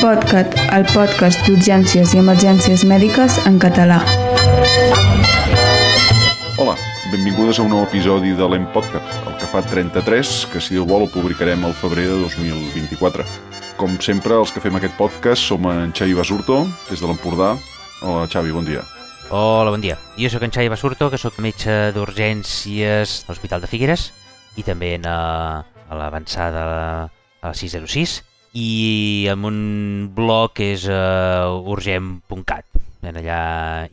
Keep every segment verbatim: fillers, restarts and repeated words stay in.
PodCat, el podcast d'urgències i emergències mèdiques en català. Hola, benvingudes a un nou episodi de l'EmPodCat, el que fa trenta-tres, que si Déu vol ho publicarem al febrer de dos mil vint-i-quatre. Com sempre, els que fem aquest podcast som en Xavi Basurto, des de l'Empordà. Hola, Xavi, bon dia. Hola, bon dia. Jo sóc en Xavi Basurto, que sóc metge d'urgències a l'Hospital de Figueres i també a, a l'avançada a la sis zero sis i amb un blog que és uh, urgent punt cat. En allà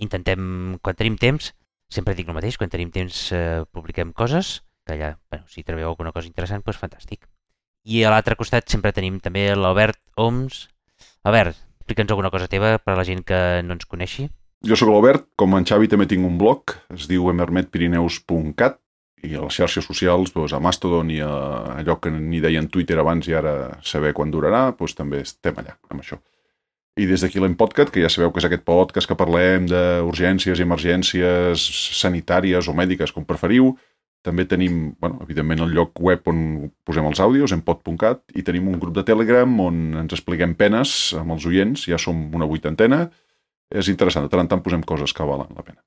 intentem, quan tenim temps, sempre dic el mateix, quan tenim temps uh, publiquem coses, que allà, bueno, si trobeu alguna cosa interessant, doncs fantàstic. I a l'altre costat sempre tenim també l'Albert Oms. Albert, explica'ns alguna cosa teva per a la gent que no ens coneixi. Jo sóc l'Albert, com en Xavi també tinc un blog, es diu emermed pirineus punt cat, i a les xarxes socials, doncs, a Mastodon i a allò que n'hi deien Twitter abans i ara saber quan durarà, doncs també estem allà amb això. I des d'aquí l'EmPodCat, que ja sabeu que és aquest podcast que parlem d'urgències i emergències sanitàries o mèdiques, com preferiu. També tenim, bueno, evidentment, el lloc web on posem els àudios, empod punt cat, i tenim un grup de Telegram on ens expliquem penes amb els oients, ja som una vuitantena. És interessant, de tant en tant posem coses que valen la pena.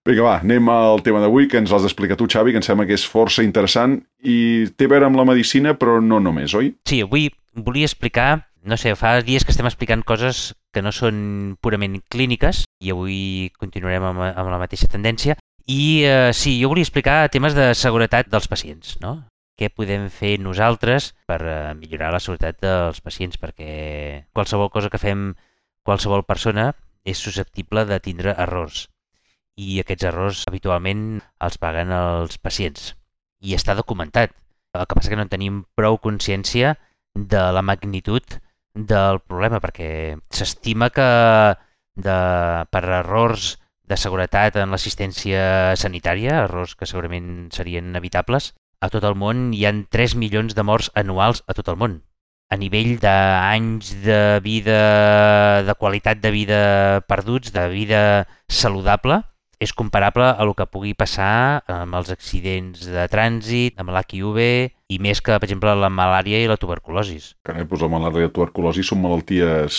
Vinga, va, anem al tema d'avui, que ens l'has d'explicar tu, Xavi, que em sembla que és força interessant i té a veure amb la medicina, però no només, oi? Sí, avui volia explicar, no sé, fa dies que estem explicant coses que no són purament clíniques i avui continuarem amb, amb la mateixa tendència. I eh, sí, jo volia explicar temes de seguretat dels pacients, no? Què podem fer nosaltres per eh, millorar la seguretat dels pacients, perquè qualsevol cosa que fem qualsevol persona és susceptible de tindre errors. I aquests errors habitualment els paguen els pacients. I està documentat. El que passa que no tenim prou consciència de la magnitud del problema, perquè s'estima que de, per errors de seguretat en l'assistència sanitària, errors que segurament serien evitables, a tot el món hi ha tres milions de morts anuals a tot el món. A nivell d'anys de vida, de qualitat de vida perduts, de vida saludable, és comparable a el que pugui passar amb els accidents de trànsit, amb l'H I V i més que, per exemple, la malària i la tuberculosis. Carai, doncs la malària i la tuberculosi són malalties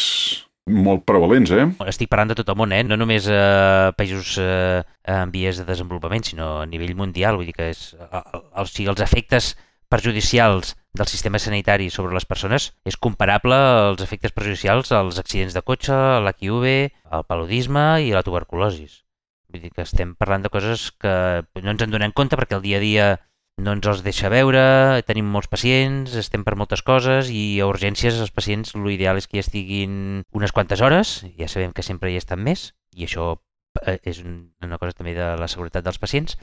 molt prevalents, eh? Estic parlant de tot el món, eh? No només a eh, països eh, en vies de desenvolupament, sinó a nivell mundial. Vull dir que és, o sigui, els efectes perjudicials del sistema sanitari sobre les persones és comparable als efectes perjudicials als accidents de cotxe, l'H I V, el paludisme i la tuberculosi. Vull dir que estem parlant de coses que no ens en donem compte perquè el dia a dia no ens els deixa veure, tenim molts pacients, estem per moltes coses i a urgències els pacients l'ideal és que hi estiguin unes quantes hores, ja sabem que sempre hi estan més i això és una cosa també de la seguretat dels pacients,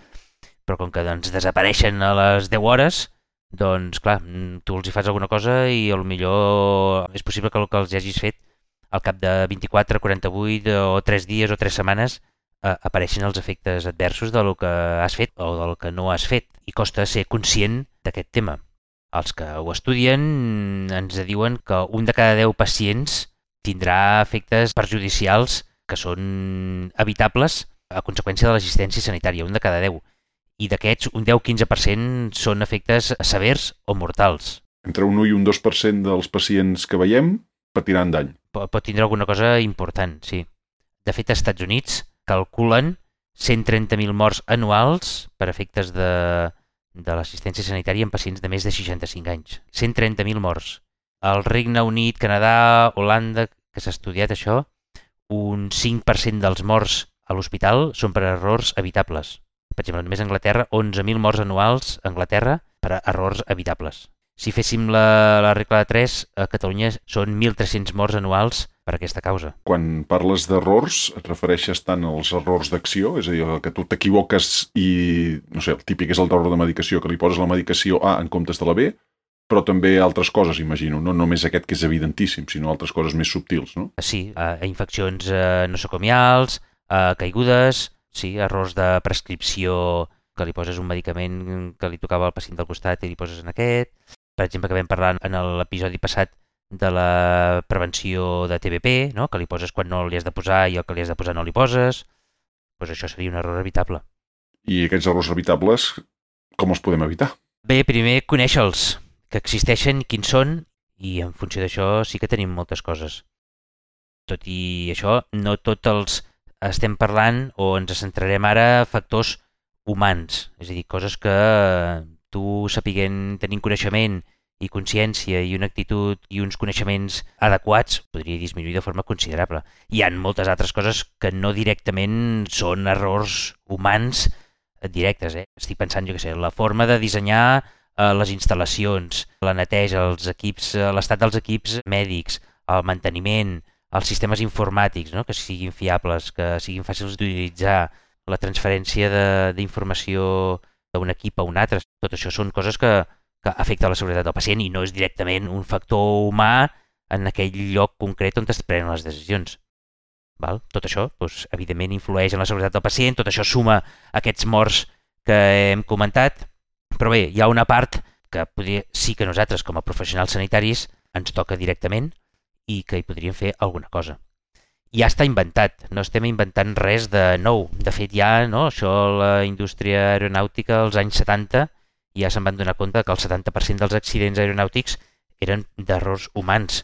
però com que doncs, desapareixen a les deu hores, doncs clar, tu els hi fas alguna cosa i potser és possible que el que els hagis fet al cap de vint-i-quatre, quaranta-vuit o tres dies o tres setmanes apareixen els efectes adversos del que has fet o del que no has fet i costa ser conscient d'aquest tema. Els que ho estudien ens diuen que un de cada deu pacients tindrà efectes perjudicials que són evitables a conseqüència de l'assistència sanitària, un de cada deu. I d'aquests, un deu a quinze per cent són efectes severs o mortals. Entre un u i un dos per cent dels pacients que veiem patiran dany. Pot, pot tindre alguna cosa important, sí. De fet, als Estats Units calculen cent trenta mil morts anuals per efectes de, de l'assistència sanitària en pacients de més de seixanta-cinc anys. cent trenta mil morts. Al Regne Unit, Canadà, Holanda, que s'ha estudiat això, un cinc per cent dels morts a l'hospital són per errors evitables. Per exemple, només a Anglaterra, onze mil morts anuals a Anglaterra per errors evitables. Si féssim la, la regla de tres, a Catalunya són mil tres-cents morts anuals per aquesta causa. Quan parles d'errors, et refereixes tant als errors d'acció, és a dir, que tu t'equivoques i, no sé, el típic és el d'error de medicació, que li poses la medicació A en comptes de la B, però també altres coses, imagino, no només aquest que és evidentíssim, sinó altres coses més subtils, no? Sí, a infeccions eh, nosocomials, a caigudes, sí, errors de prescripció, que li poses un medicament que li tocava al pacient del costat i li poses en aquest. Per exemple, que vam parlar en l'episodi passat de la prevenció de T B P, no? Que li poses quan no li has de posar i el que li has de posar no li poses. Doncs això seria un error evitable. I aquests errors evitables, com els podem evitar? Bé, primer conèixer-los. que existeixen, quins són, i en funció d'això sí que tenim moltes coses. Tot i això, no tots els estem parlant o ens centrarem ara factors humans, és a dir, coses que tu sapiguent, tenint coneixement i consciència i una actitud i uns coneixements adequats podria disminuir de forma considerable. Hi ha moltes altres coses que no directament són errors humans directes. Eh? Estic pensant, jo què sé, la forma de dissenyar eh, les instal·lacions, la neteja, els equips, eh, l'estat dels equips mèdics, el manteniment, els sistemes informàtics, no? Que siguin fiables, que siguin fàcils d'utilitzar, la transferència d'informació d'un equip a un altre. Tot això són coses que, que afecten la seguretat del pacient i no és directament un factor humà en aquell lloc concret on es prenen les decisions. Val? Tot això, doncs, evidentment, influeix en la seguretat del pacient, tot això suma aquests morts que hem comentat, però bé, hi ha una part que podria, sí que nosaltres, com a professionals sanitaris, ens toca directament i que hi podríem fer alguna cosa. Ja està inventat, no estem inventant res de nou. De fet, ja, no, això, la indústria aeronàutica als anys setanta, ja se'n van donar compte que el setanta per cent dels accidents aeronàutics eren d'errors humans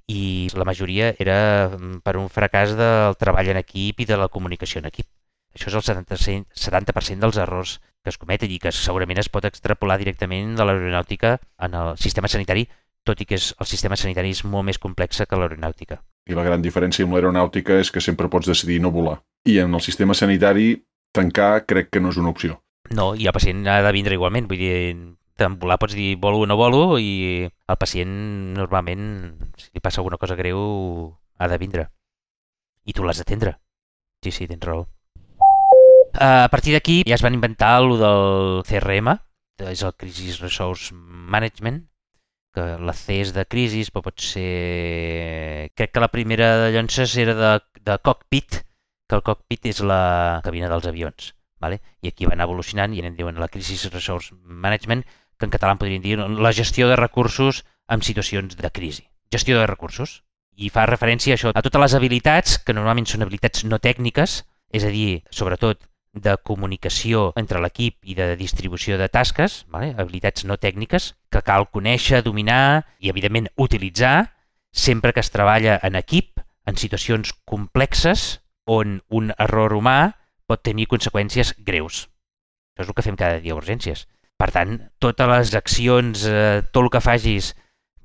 i la majoria era per un fracàs del treball en equip i de la comunicació en equip. Això és el setanta per cent dels errors que es cometen i que segurament es pot extrapolar directament de l'aeronàutica en el sistema sanitari, tot i que és, el sistema sanitari és molt més complex que l'aeronàutica. I la gran diferència amb l'aeronàutica és que sempre pots decidir no volar. I en el sistema sanitari, tancar crec que no és una opció. No, i el pacient ha de vindre igualment. Vull dir, en volar pots dir volo o no volo i el pacient normalment, si li passa alguna cosa greu, ha de vindre. I tu l'has d'atendre. Sí, sí, tens raó. A partir d'aquí ja es van inventar el del C R M, és el Crisis Resource Management, que la C és de crisis, però pot ser... Crec que la primera de llances era de, de cockpit, que el cockpit és la cabina dels avions. Vale? I aquí van evolucionant i en diuen la Crisis Resource Management, que en català en podríem dir la gestió de recursos en situacions de crisi. Gestió de recursos. I fa referència a això, a totes les habilitats, que normalment són habilitats no tècniques, és a dir, sobretot de comunicació entre l'equip i de distribució de tasques, vale? Habilitats no tècniques, que cal conèixer, dominar i, evidentment, utilitzar sempre que es treballa en equip, en situacions complexes, on un error humà pot tenir conseqüències greus. Això és el que fem cada dia a urgències. Per tant, totes les accions, eh, tot el que facis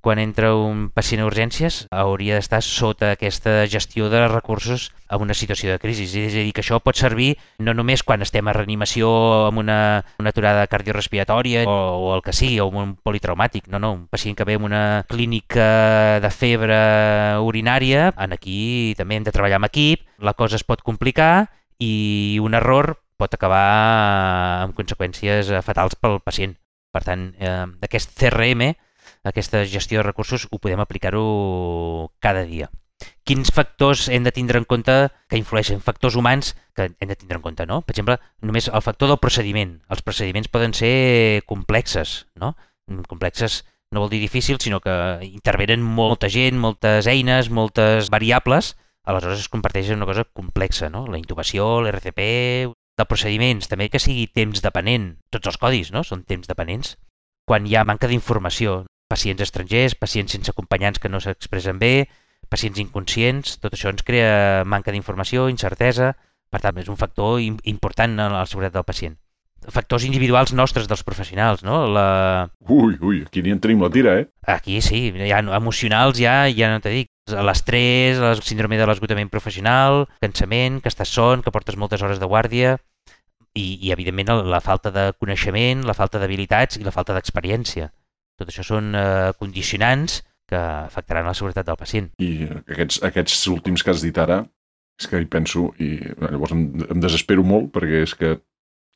quan entra un pacient a urgències hauria d'estar sota aquesta gestió de recursos en una situació de crisi. És a dir, que això pot servir no només quan estem a reanimació amb una, una aturada cardiorespiratòria o, o el que sigui, o un politraumàtic. No, no, un pacient que ve amb una clínica de febre urinària, en aquí també hem de treballar amb equip, la cosa es pot complicar i un error pot acabar amb conseqüències fatals pel pacient. Per tant, eh, aquest C R M, aquesta gestió de recursos, ho podem aplicar-ho cada dia. Quins factors hem de tindre en compte que influeixen? Factors humans que hem de tindre en compte, no? Per exemple, només el factor del procediment. Els procediments poden ser complexes, no? Complexes no vol dir difícil, sinó que intervenen molta gent, moltes eines, moltes variables, aleshores es comparteix en una cosa complexa, no? La intubació, l'R C P, de procediments, també que sigui temps dependent. Tots els codis, no? Són temps dependents. Quan hi ha manca d'informació, pacients estrangers, pacients sense acompanyants que no s'expressen bé, pacients inconscients, tot això ens crea manca d'informació, incertesa, per tant és un factor important en la seguretat del pacient. Factors individuals nostres dels professionals, no? La... Ui, ui, aquí ni en tenim la tira, eh? Aquí sí, ja emocionals ja, ja no t'he dit. L'estrès, el síndrome de l'esgotament professional, cansament, que estàs son, que portes moltes hores de guàrdia i, i evidentment, la falta de coneixement, la falta d'habilitats i la falta d'experiència. Tot això són eh, condicionants que afectaran la seguretat del pacient. I aquests, aquests últims que has dit ara, és que hi penso i llavors em, em desespero molt perquè és que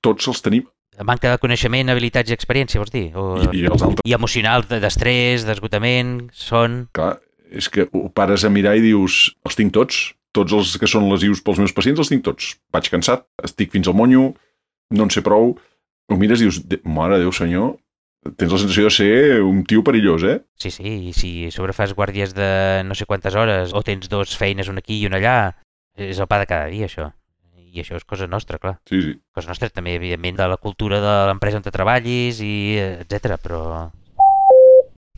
tots els tenim. Manca de coneixement, habilitats i experiència, vols dir? O... I, i els altres. I emocional, d'estrès, d'esgotament, son... Clar, és que ho pares a mirar i dius, els tinc tots, tots els que són lesius pels meus pacients els tinc tots. Vaig cansat, estic fins al monyo, no en sé prou. Ho mires i dius, mare de Déu senyor, tens la sensació de ser un tio perillós, eh? Sí, sí, i si sobre fas guàrdies de no sé quantes hores o tens dos feines, una aquí i una allà, és el pa de cada dia, això. I això és cosa nostra, clar. Sí, sí. Cosa nostra també, evidentment, de la cultura de l'empresa on te treballis, i etcètera, però...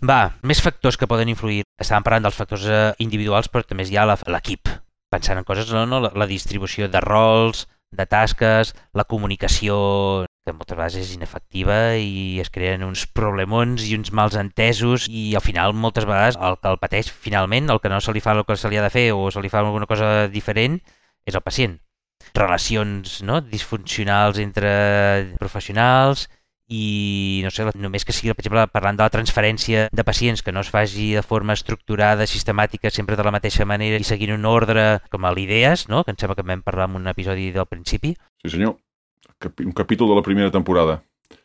Va, més factors que poden influir. Estàvem parlant dels factors eh, individuals, però també hi ha la- l'equip. Pensant en coses, no? no? La, la distribució de rols, de tasques, la comunicació, que moltes vegades és inefectiva i es creen uns problemons i uns mals entesos i al final moltes vegades el que el pateix finalment, el que no se li fa el que se li ha de fer o se li fa alguna cosa diferent, és el pacient. Relacions, no? Disfuncionals entre professionals i no sé, només que sigui, per exemple, parlant de la transferència de pacients, que no es faci de forma estructurada, sistemàtica, sempre de la mateixa manera i seguint un ordre com a l'idees, no? Que em sembla que en vam parlar en un episodi del principi. Sí, senyor. Capi- Un capítol de la primera temporada.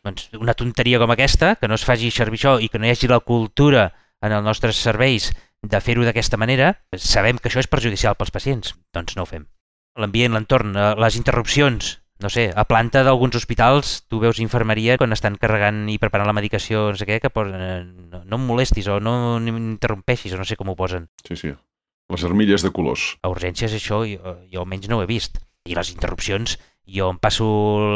Doncs una tonteria com aquesta, que no es faci servir això i que no hi hagi la cultura en els nostres serveis de fer-ho d'aquesta manera, sabem que això és perjudicial pels pacients, doncs no ho fem. L'ambient, l'entorn, eh, les interrupcions, no sé, a planta d'alguns hospitals tu veus infermeria quan estan carregant i preparant la medicació, no sé què, que posen, eh, no, no em molestis o no m'interrompeixis o no sé com ho posen. Sí, sí. Les armilles de colors. A urgències això jo, jo almenys no ho he vist. I les interrupcions, jo em passo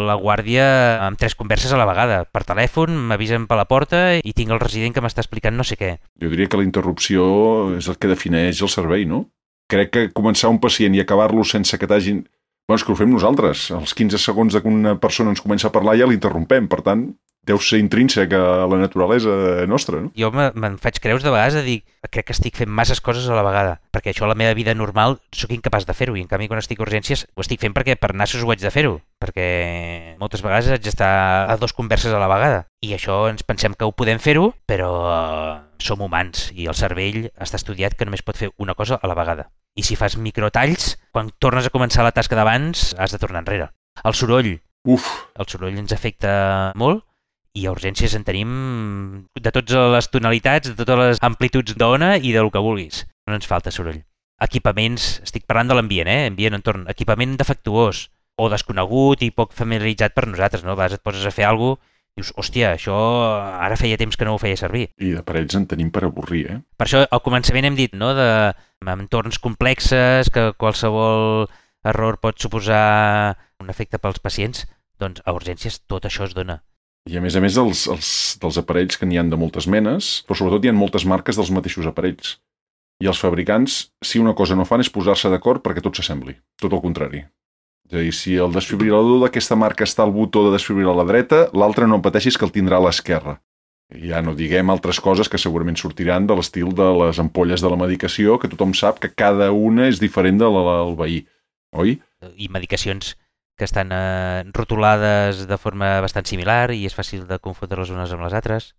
la guàrdia amb tres converses a la vegada. Per telèfon, m'avisen per la porta i tinc el resident que m'està explicant no sé què. Jo diria que la interrupció és el que defineix el servei, no? Crec que començar un pacient i acabar-lo sense que t'hagin... Bueno, és que ho fem nosaltres. Als quinze segons que una persona ens comença a parlar ja l'interrompem. Per tant, deu ser intrínsec a la naturalesa nostra, no? Jo me- me'n faig creus de vegades de dir crec que estic fent masses coses a la vegada, perquè això a la meva vida normal sóc incapaç de fer-ho i en canvi quan estic a urgències ho estic fent perquè per nassos ho haig de fer-ho, perquè moltes vegades haig d'estar a dos converses a la vegada i això ens pensem que ho podem fer-ho, però eh, som humans i el cervell està estudiat que només pot fer una cosa a la vegada. I si fas microtalls, quan tornes a començar la tasca d'abans has de tornar enrere. El soroll, Uf, el soroll ens afecta molt i a urgències en tenim de totes les tonalitats, de totes les amplituds d'ona i del que vulguis. No ens falta soroll. Equipaments, estic parlant de l'ambient, eh? Ambient, entorn. Equipament defectuós o desconegut i poc familiaritzat per nosaltres, no? A vegades et poses a fer alguna cosa, dius, hòstia, això ara feia temps que no ho feia servir. i d'aparells en tenim per avorrir, eh? Per això al començament hem dit, no?, de entorns complexes, que qualsevol error pot suposar un efecte pels pacients, doncs a urgències tot això es dona. I a més a més els, els, dels aparells que n'hi han de moltes menes, però sobretot hi ha moltes marques dels mateixos aparells. I els fabricants, si una cosa no fan, és posar-se d'acord perquè tot s'assembli. Tot el contrari. És a dir, si el desfibrilador d'aquesta marca està al botó de desfibrilar a la dreta, l'altre no pateixis que el tindrà a l'esquerra. I ja no diguem altres coses que segurament sortiran de l'estil de les ampolles de la medicació, que tothom sap que cada una és diferent de la del veí, oi? I medicacions que estan eh, rotulades de forma bastant similar i és fàcil de confondre les unes amb les altres.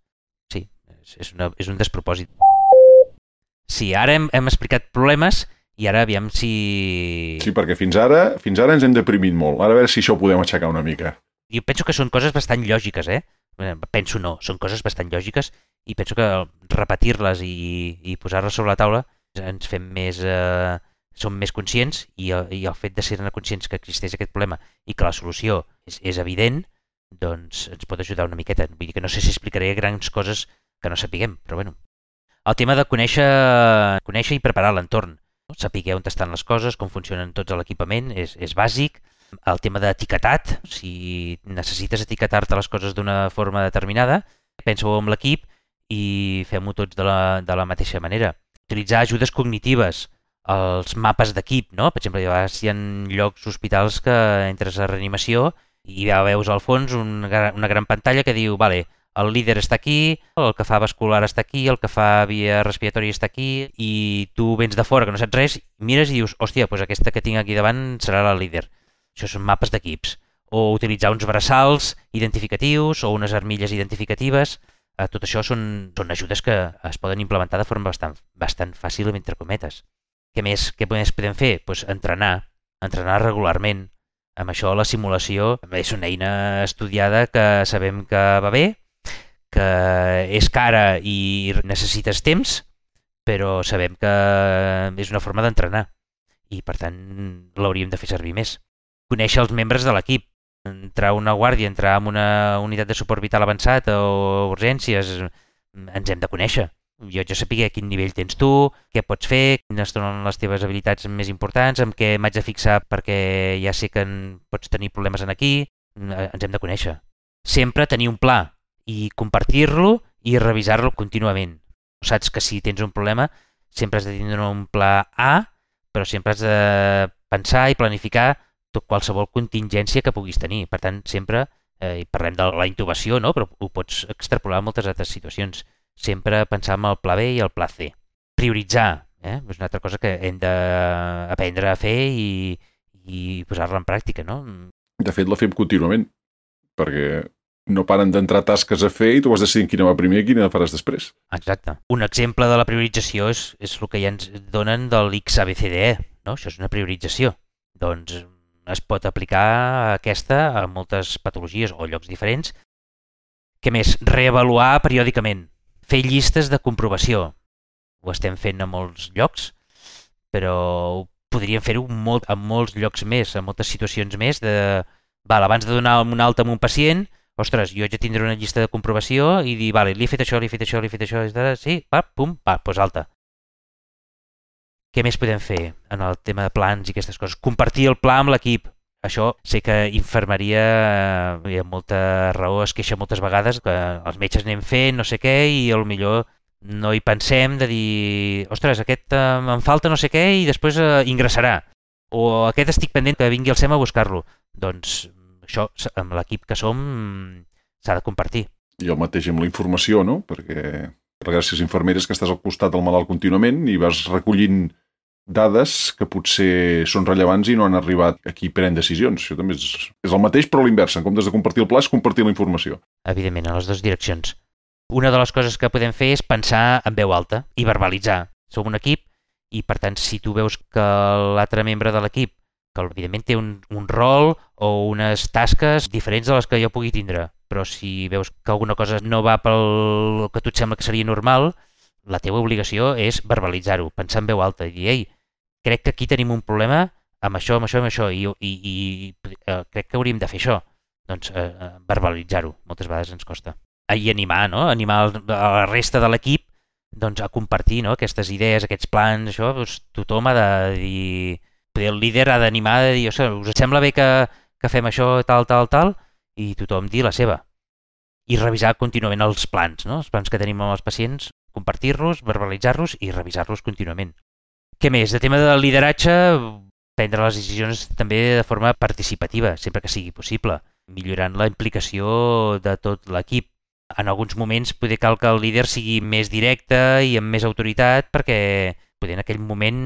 Sí, és, és, una, és un despropòsit. Sí, ara hem, hem explicat problemes i ara aviam si... Sí, perquè fins ara, fins ara ens hem deprimit molt. Ara a veure si això ho podem aixecar una mica. Jo penso que són coses bastant lògiques, eh? Penso no, són coses bastant lògiques i penso que repetir-les i, i posar-les sobre la taula ens fem més... Eh, som més conscients i el, i el fet de ser conscients que existeix aquest problema i que la solució és, és evident, doncs ens pot ajudar una miqueta. Vull dir que no sé si explicaré grans coses que no sapiguem, però bueno. El tema de conèixer, conèixer i preparar l'entorn. No? Saber on estan les coses, com funcionen tots l'equipament, és, és bàsic. El tema d'etiquetat, si necessites etiquetar-te les coses d'una forma determinada, pensa-ho amb l'equip i fem-ho tots de la, de la mateixa manera. Utilitzar ajudes cognitives, els mapes d'equip, no? Per exemple, hi ha, hi ha llocs, hospitals que entres a reanimació i ja veus al fons un, una gran pantalla que diu, vale, el líder està aquí, el que fa vascular està aquí, el que fa via respiratòria està aquí i tu vens de fora que no saps res, mires i dius, hòstia, doncs aquesta que tinc aquí davant serà la líder. Això són mapes d'equips. O utilitzar uns braçals identificatius o unes armilles identificatives. Eh, tot això són, són ajudes que es poden implementar de forma bastant, bastant fàcil, entre cometes. Què més, què més podem fer? Pues entrenar, entrenar regularment. Amb això la simulació és una eina estudiada que sabem que va bé, que és cara i necessites temps, però sabem que és una forma d'entrenar i per tant l'hauríem de fer servir més. Conèixer els membres de l'equip, entrar a una guàrdia, entrar en una unitat de suport vital avançat o urgències, ens hem de conèixer. Jo ja sapigué a quin nivell tens tu, què pots fer, quines són les teves habilitats més importants, amb què m'haig de fixar perquè ja sé que en pots tenir problemes en aquí, ens hem de conèixer. Sempre tenir un pla i compartir-lo i revisar-lo contínuament. Saps que si tens un problema sempre has de tindre un pla A, però sempre has de pensar i planificar tot qualsevol contingència que puguis tenir. Per tant, sempre, eh, i parlem de la intubació, no? Però ho pots extrapolar a moltes altres situacions. Sempre pensar en el pla B i el pla C. Prioritzar, eh? És una altra cosa que hem d'aprendre a fer i, i posar-la en pràctica, no? De fet, la fem contínuament, perquè no paren d'entrar tasques a fer i tu has de decidir quina va primer i quina faràs després. Exacte. Un exemple de la priorització és, és el que ja ens donen del X A B C D E, no? Això és una priorització. Doncs es pot aplicar aquesta a moltes patologies o llocs diferents. Què més? Reavaluar periòdicament. Fer llistes de comprovació. Ho estem fent a molts llocs, però podríem fer-ho molt, en molts llocs més, en moltes situacions més. De, val, abans de donar un alta a un pacient, ostres, jo haig de tindre una llista de comprovació i dir, vale, li he fet això, li he fet això, li he fet això, sí, va, pum, va, doncs alta. Què més podem fer en el tema de plans i aquestes coses? Compartir el pla amb l'equip. Això sé que infermeria, hi ha molta raó, es queixa moltes vegades que els metges anem fent no sé què i potser no hi pensem de dir, ostres, aquest eh, em falta no sé què i després eh, ingressarà. O aquest estic pendent que vingui al SEM a buscar-lo. Doncs això, amb l'equip que som, s'ha de compartir. I el mateix amb la informació, no? Perquè gràcies a infermeres que estàs al costat del malalt contínuament i vas recollint dades que potser són rellevants i no han arribat a qui pren decisions. Això també és, és el mateix, però a l'inversa. En comptes de compartir el pla, és compartir la informació. Evidentment, en les dues direccions. Una de les coses que podem fer és pensar en veu alta i verbalitzar. Som un equip i, per tant, si tu veus que l'altre membre de l'equip, que evidentment té un, un rol o unes tasques diferents de les que jo pugui tindre, però si veus que alguna cosa no va pel que a tu et sembla que seria normal, la teva obligació és verbalitzar-ho, pensar en veu alta i dir, ei, crec que aquí tenim un problema amb això, amb això, amb això, i, i, i eh, crec que hauríem de fer això. Doncs eh, verbalitzar-ho, moltes vegades ens costa. I animar, no? Animar la resta de l'equip doncs, a compartir, no? Aquestes idees, aquests plans, això, doncs, tothom ha de dir... El líder ha d'animar, de dir, us sembla bé que, que fem això, tal, tal, tal, i tothom dir la seva. I revisar contínuament els plans, no? Els plans que tenim amb els pacients, compartir-los, verbalitzar-los i revisar-los contínuament. Què més? De tema de lideratge, prendre les decisions també de forma participativa, sempre que sigui possible, millorant la implicació de tot l'equip. En alguns moments poder cal que el líder sigui més directe i amb més autoritat perquè poder en aquell moment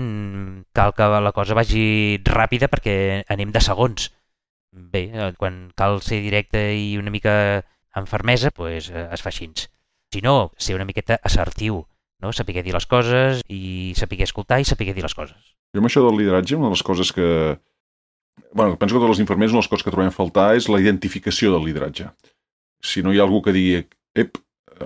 cal que la cosa vagi ràpida perquè anem de segons. Bé, quan cal ser directe i una mica amb fermesa, doncs es fa així. Si no, ser una miqueta assertiu, no? Saber dir les coses i saber escoltar i saber dir les coses. Jo amb això del lideratge, una de les coses que... Bueno, penso que totes les infermeres una de les coses que trobem a faltar és la identificació del lideratge. Si no hi ha algú que digui, ep,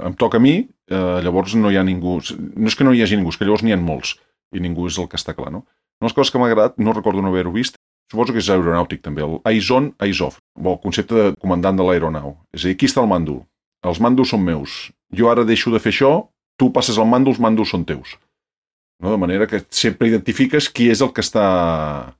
em toca a mi, eh, llavors no hi ha ningú... No és que no hi hagi ningú, és que llavors n'hi ha molts i ningú és el que està clar, no? Una de les coses que m'ha agradat, no recordo no haver-ho vist, suposo que és aeronàutic també, el eyes on, eyes off, el concepte de comandant de l'aeronau. És a dir, aquí està el mando, els mandos són meus, jo ara deixo de fer això, tu passes el mando, els mandos són teus. No? De manera que sempre identifiques qui és el que està...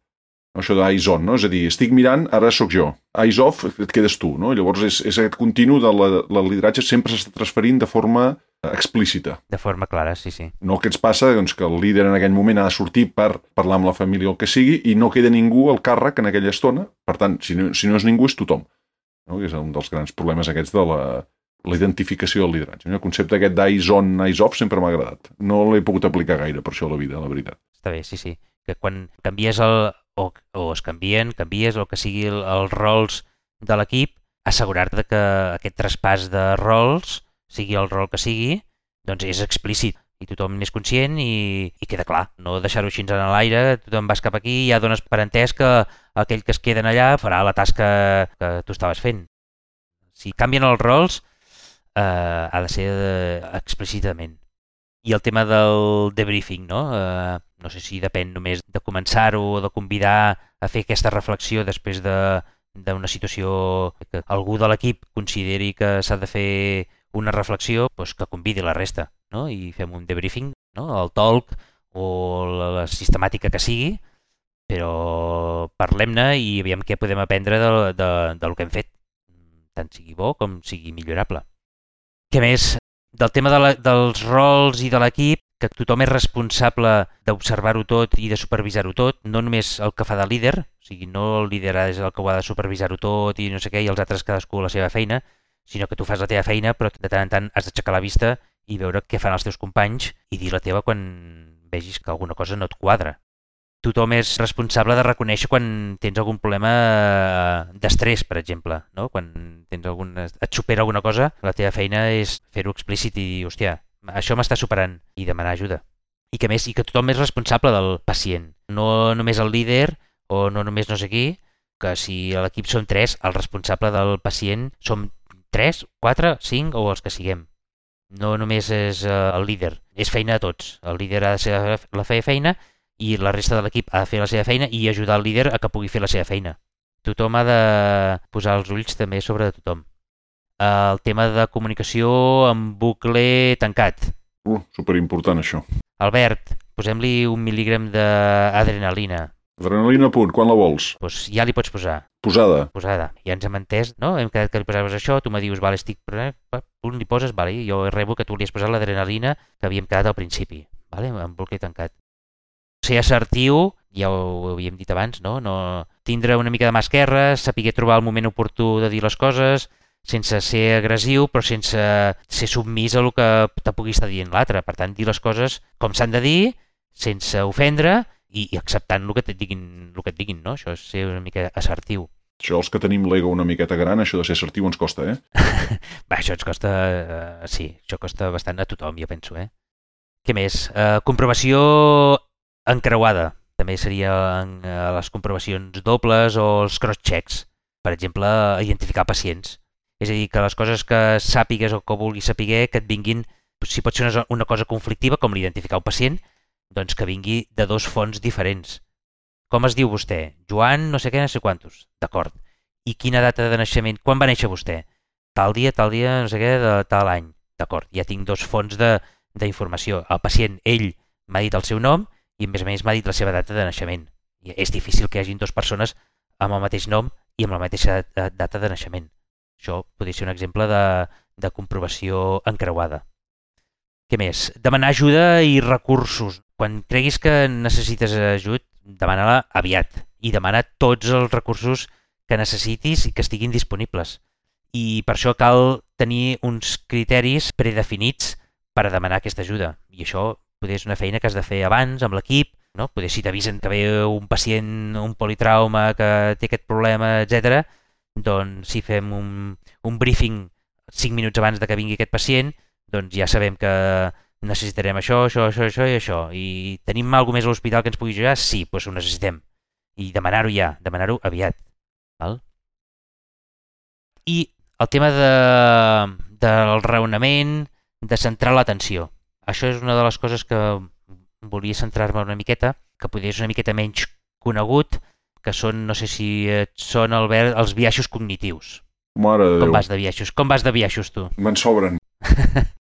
Això d'eyes on, no? És a dir, estic mirant, ara sóc jo. Eyes off, et quedes tu, no? Llavors és, és aquest continu de la, la lideratge sempre s'està transferint de forma explícita. De forma clara, sí, sí. No el que ens passa, doncs, que el líder en aquell moment ha de sortir per parlar amb la família o el que sigui i no queda ningú al càrrec en aquella estona. Per tant, si no, si no és ningú, és tothom. No? Que és un dels grans problemes aquests de la, la identificació del lideratge. El concepte aquest d'eyes on, eyes off sempre m'ha agradat. No l'he pogut aplicar gaire per això a la vida, la veritat. Està bé, sí, sí. Que quan canvies el... O, o es canvien, canvies el que sigui el, els rols de l'equip, assegurar-te que aquest traspàs de rols, sigui el rol que sigui, doncs és explícit i tothom n'és conscient i, i queda clar. No deixar-ho així en l'aire, tothom vas cap aquí i ja dones per entès que aquell que es queden allà farà la tasca que tu estaves fent. Si canvien els rols, eh, ha de ser eh, explícitament. I el tema del debriefing, no? Eh, no sé si depèn només de començar-ho o de convidar a fer aquesta reflexió després d'una situació que algú de l'equip consideri que s'ha de fer una reflexió, doncs que convidi la resta, no? I fem un debriefing, no? El talk o la, la sistemàtica que sigui, però parlem-ne i aviam què podem aprendre de, de, del que hem fet, tant sigui bo com sigui millorable. Què més? del tema de la, dels rols i de l'equip, que tothom és responsable d'observar-ho tot i de supervisar-ho tot, no només el que fa de líder, o sigui, no el líder és el que ho ha de supervisar-ho tot i no sé què, i els altres cadascú la seva feina, sinó que tu fas la teva feina, però de tant en tant has d'aixecar la vista i veure què fan els teus companys i dir la teva quan vegis que alguna cosa no et quadra. Tothom és responsable de reconèixer quan tens algun problema d'estrès, per exemple, no? Quan tens algun, et supera alguna cosa, la teva feina és fer-ho explícit i dir, hòstia, això m'està superant, i demanar ajuda. I que més, i que tothom és responsable del pacient, no només el líder o no només no sé qui, que si a l'equip som tres, el responsable del pacient som tres, quatre, cinc o els que siguem. No només és el líder, és feina de tots. El líder ha de ser la feina i la resta de l'equip ha de fer la seva feina i ajudar el líder a que pugui fer la seva feina. Tothom ha de posar els ulls també sobre tothom. El tema de comunicació en bucle tancat. Uh, superimportant això. Albert, posem-li un mil·lígram d'adrenalina. Adrenalina a punt, quan la vols? Doncs ja li pots posar. Posada. Posada. Ja ens hem entès, no? Hem quedat que li posaves això, tu me dius, vale, estic... Punt li poses, vale, jo rebo que tu li has posat l'adrenalina que havíem quedat al principi, vale? En bucle tancat. Ser assertiu, ja ho havíem dit abans, no? no tindre una mica de mà esquerra, saber trobar el moment oportú de dir les coses, sense ser agressiu, però sense ser submís a el que te pugui estar dient l'altre. Per tant, dir les coses com s'han de dir, sense ofendre i, i acceptant el que et diguin, el que et diguin, no? Això és ser una mica assertiu. Això, els que tenim l'ego una miqueta gran, això de ser assertiu ens costa, eh? Va, això ens costa... Uh, sí, això costa bastant a tothom, jo penso, eh? Què més? Uh, comprovació encreuada. També seria en, uh, les comprovacions dobles o els cross-checks. Per exemple, identificar pacients. És a dir, que les coses que sàpigues o que vulguis saber, que et vinguin, si pot ser una, una cosa conflictiva, com l'identificar un pacient, doncs que vingui de dos fonts diferents. Com es diu vostè? Joan no sé què, no sé quantos. D'acord. I quina data de naixement? Quan va néixer vostè? Tal dia, tal dia, no sé què, de tal any. D'acord. Ja tinc dos fonts d'informació. El pacient, ell, m'ha dit el seu nom i a més a més m'ha dit la seva data de naixement. I és difícil que hi hagin dues persones amb el mateix nom i amb la mateixa data de naixement. Això podria ser un exemple de, de comprovació encreuada. Què més? Demanar ajuda i recursos. Quan creguis que necessites ajut, demana-la aviat i demana tots els recursos que necessitis i que estiguin disponibles. I per això cal tenir uns criteris predefinits per a demanar aquesta ajuda. I això potser és una feina que has de fer abans amb l'equip, no? Potser si t'avisen que ve un pacient, un politrauma, que té aquest problema, etcètera, doncs si fem un, un briefing cinc minuts abans de que vingui aquest pacient, doncs ja sabem que necessitarem això, això, això, això i això. I tenim alguna més a l'hospital que ens pugui ajudar? Sí, doncs ho necessitem. I demanar-ho ja, demanar-ho aviat. Val? I el tema de, del raonament, de centrar l'atenció. Això és una de les coses que volia centrar-me una miqueta, que potser és una miqueta menys conegut, que són, no sé si són el, els biaixos cognitius. Mare de Déu. Com vas de biaixos? Com vas de biaixos, tu? Me'n sobren.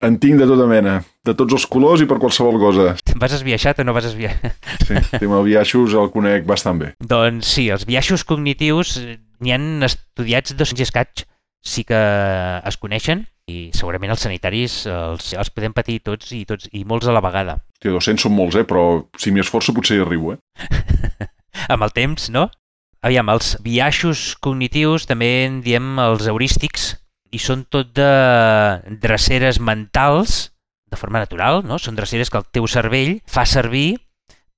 En tinc de tota mena, de tots els colors i per qualsevol cosa. Vas esbiaixat o no vas esbiaixat? Sí, el tema de biaixos el conec bastant bé. Doncs sí, els biaixos cognitius n'hi han estudiats dos-cents i escaig, sí que es coneixen i segurament els sanitaris els, els podem patir tots i tots i molts a la vegada. Hòstia, dos-cents són molts, eh? Però si m'hi esforço potser hi arribo, eh? Amb el temps, no? Aviam, els biaixos cognitius també en diem els heurístics i són tot de dreceres mentals de forma natural, no? Són dreceres que el teu cervell fa servir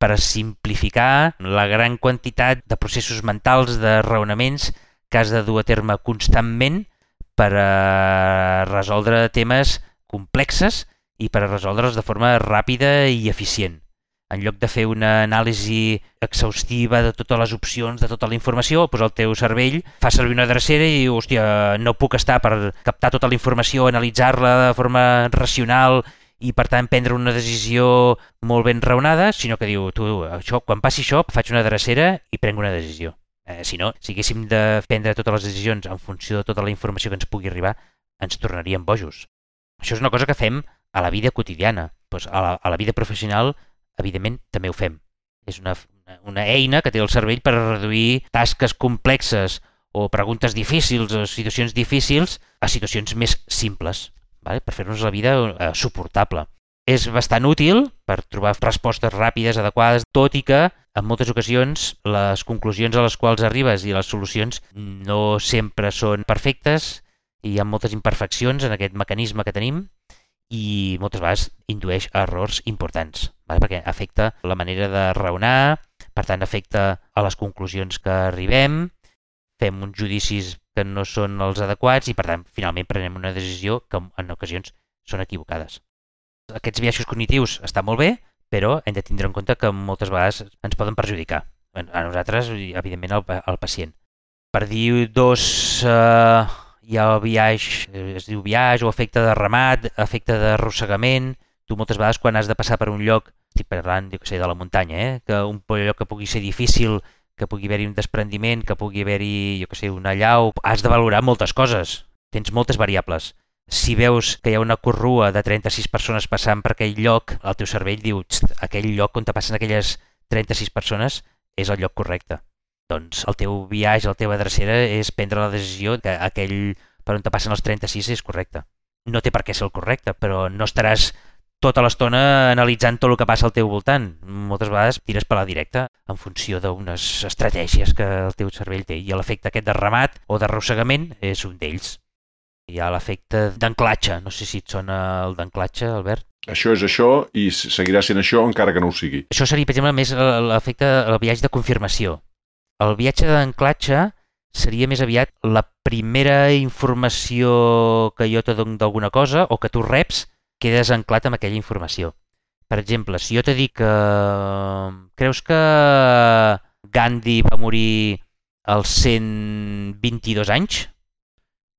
per a simplificar la gran quantitat de processos mentals, de raonaments que has de dur a terme constantment per a resoldre temes complexes i per a resoldre'ls de forma ràpida i eficient. En lloc de fer una anàlisi exhaustiva de totes les opcions, de tota la informació, doncs el teu cervell fa servir una drecera i diu, hòstia, no puc estar per captar tota la informació, analitzar-la de forma racional i per tant prendre una decisió molt ben raonada, sinó que diu, tu, això, quan passi això, faig una drecera i prenc una decisió. Eh, si no, si haguéssim de prendre totes les decisions en funció de tota la informació que ens pugui arribar, ens tornaríem bojos. Això és una cosa que fem a la vida quotidiana. Pues a, la, a la vida professional, evidentment, també ho fem. És una, una eina que té el cervell per reduir tasques complexes o preguntes difícils o situacions difícils a situacions més simples. vale? Per fer-nos la vida eh, suportable. És bastant útil per trobar respostes ràpides, adequades, tot i que en moltes ocasions les conclusions a les quals arribes i les solucions no sempre són perfectes i hi ha moltes imperfeccions en aquest mecanisme que tenim i moltes vegades indueix a errors importants, vale? Perquè afecta la manera de raonar, per tant afecta a les conclusions que arribem, fem uns judicis que no són els adequats i per tant finalment prenem una decisió que en ocasions són equivocades. Aquests biaixos cognitius estan molt bé, però hem de tindre en compte que moltes vegades ens poden perjudicar. A nosaltres i evidentment al, al pacient. Per dir dos... Eh, hi ha el biaix, es diu biaix o efecte de ramat, efecte d'arrossegament. Tu moltes vegades quan has de passar per un lloc, estic parlant jo que sé, de la muntanya, eh? Que un lloc que pugui ser difícil, que pugui haver-hi un desprendiment, que pugui haver-hi, jo que sé, una allau, has de valorar moltes coses. Tens moltes variables. Si veus que hi ha una corrua de trenta-sis persones passant per aquell lloc, el teu cervell diu aquell lloc on te passen aquelles trenta-sis persones és el lloc correcte. Doncs el teu viatge, la teva drecera és prendre la decisió que aquell per on te passen els trenta-sis és correcte. No té per què ser el correcte, però no estaràs tota l'estona analitzant tot el que passa al teu voltant. Moltes vegades tires per la directa en funció d'unes estratègies que el teu cervell té i l'efecte aquest de ramat o d'arrossegament és un d'ells. Hi ha l'efecte d'anclatge. No sé si et sona el d'anclatge, Albert. Això és això i seguirà sent això encara que no ho sigui. Això seria, per exemple, més l'efecte del viatge de confirmació. El viatge d'anclatge seria més aviat la primera informació que jo te dono d'alguna cosa o que tu reps, quedes anclat amb aquella informació. Per exemple, si jo te dic que creus que Gandhi va morir als cent vint-i-dos anys,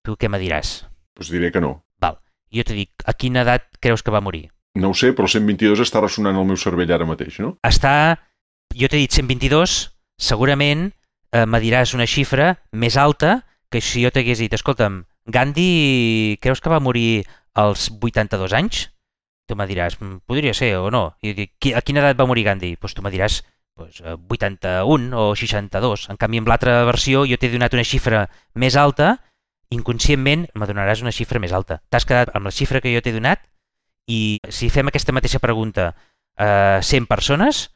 tu què me diràs? Doncs diré que no. Val. Jo te dic, a quina edat creus que va morir? No ho sé, però cent vint-i-dos està ressonant al meu cervell ara mateix, no? Està... Jo t'he dit cent vint-i-dos, segurament eh, me diràs una xifra més alta que si jo t'hagués dit, escolta'm, Gandhi creus que va morir als vuitanta-dos anys? Tu me diràs, podria ser o no. I jo dic, a quina edat va morir Gandhi? Pues tu me diràs pues, vuitanta-un o seixanta-dos. En canvi, amb l'altra versió jo t'he donat una xifra més alta, inconscientment me donaràs una xifra més alta. T'has quedat amb la xifra que jo t'he donat i si fem aquesta mateixa pregunta a cent persones,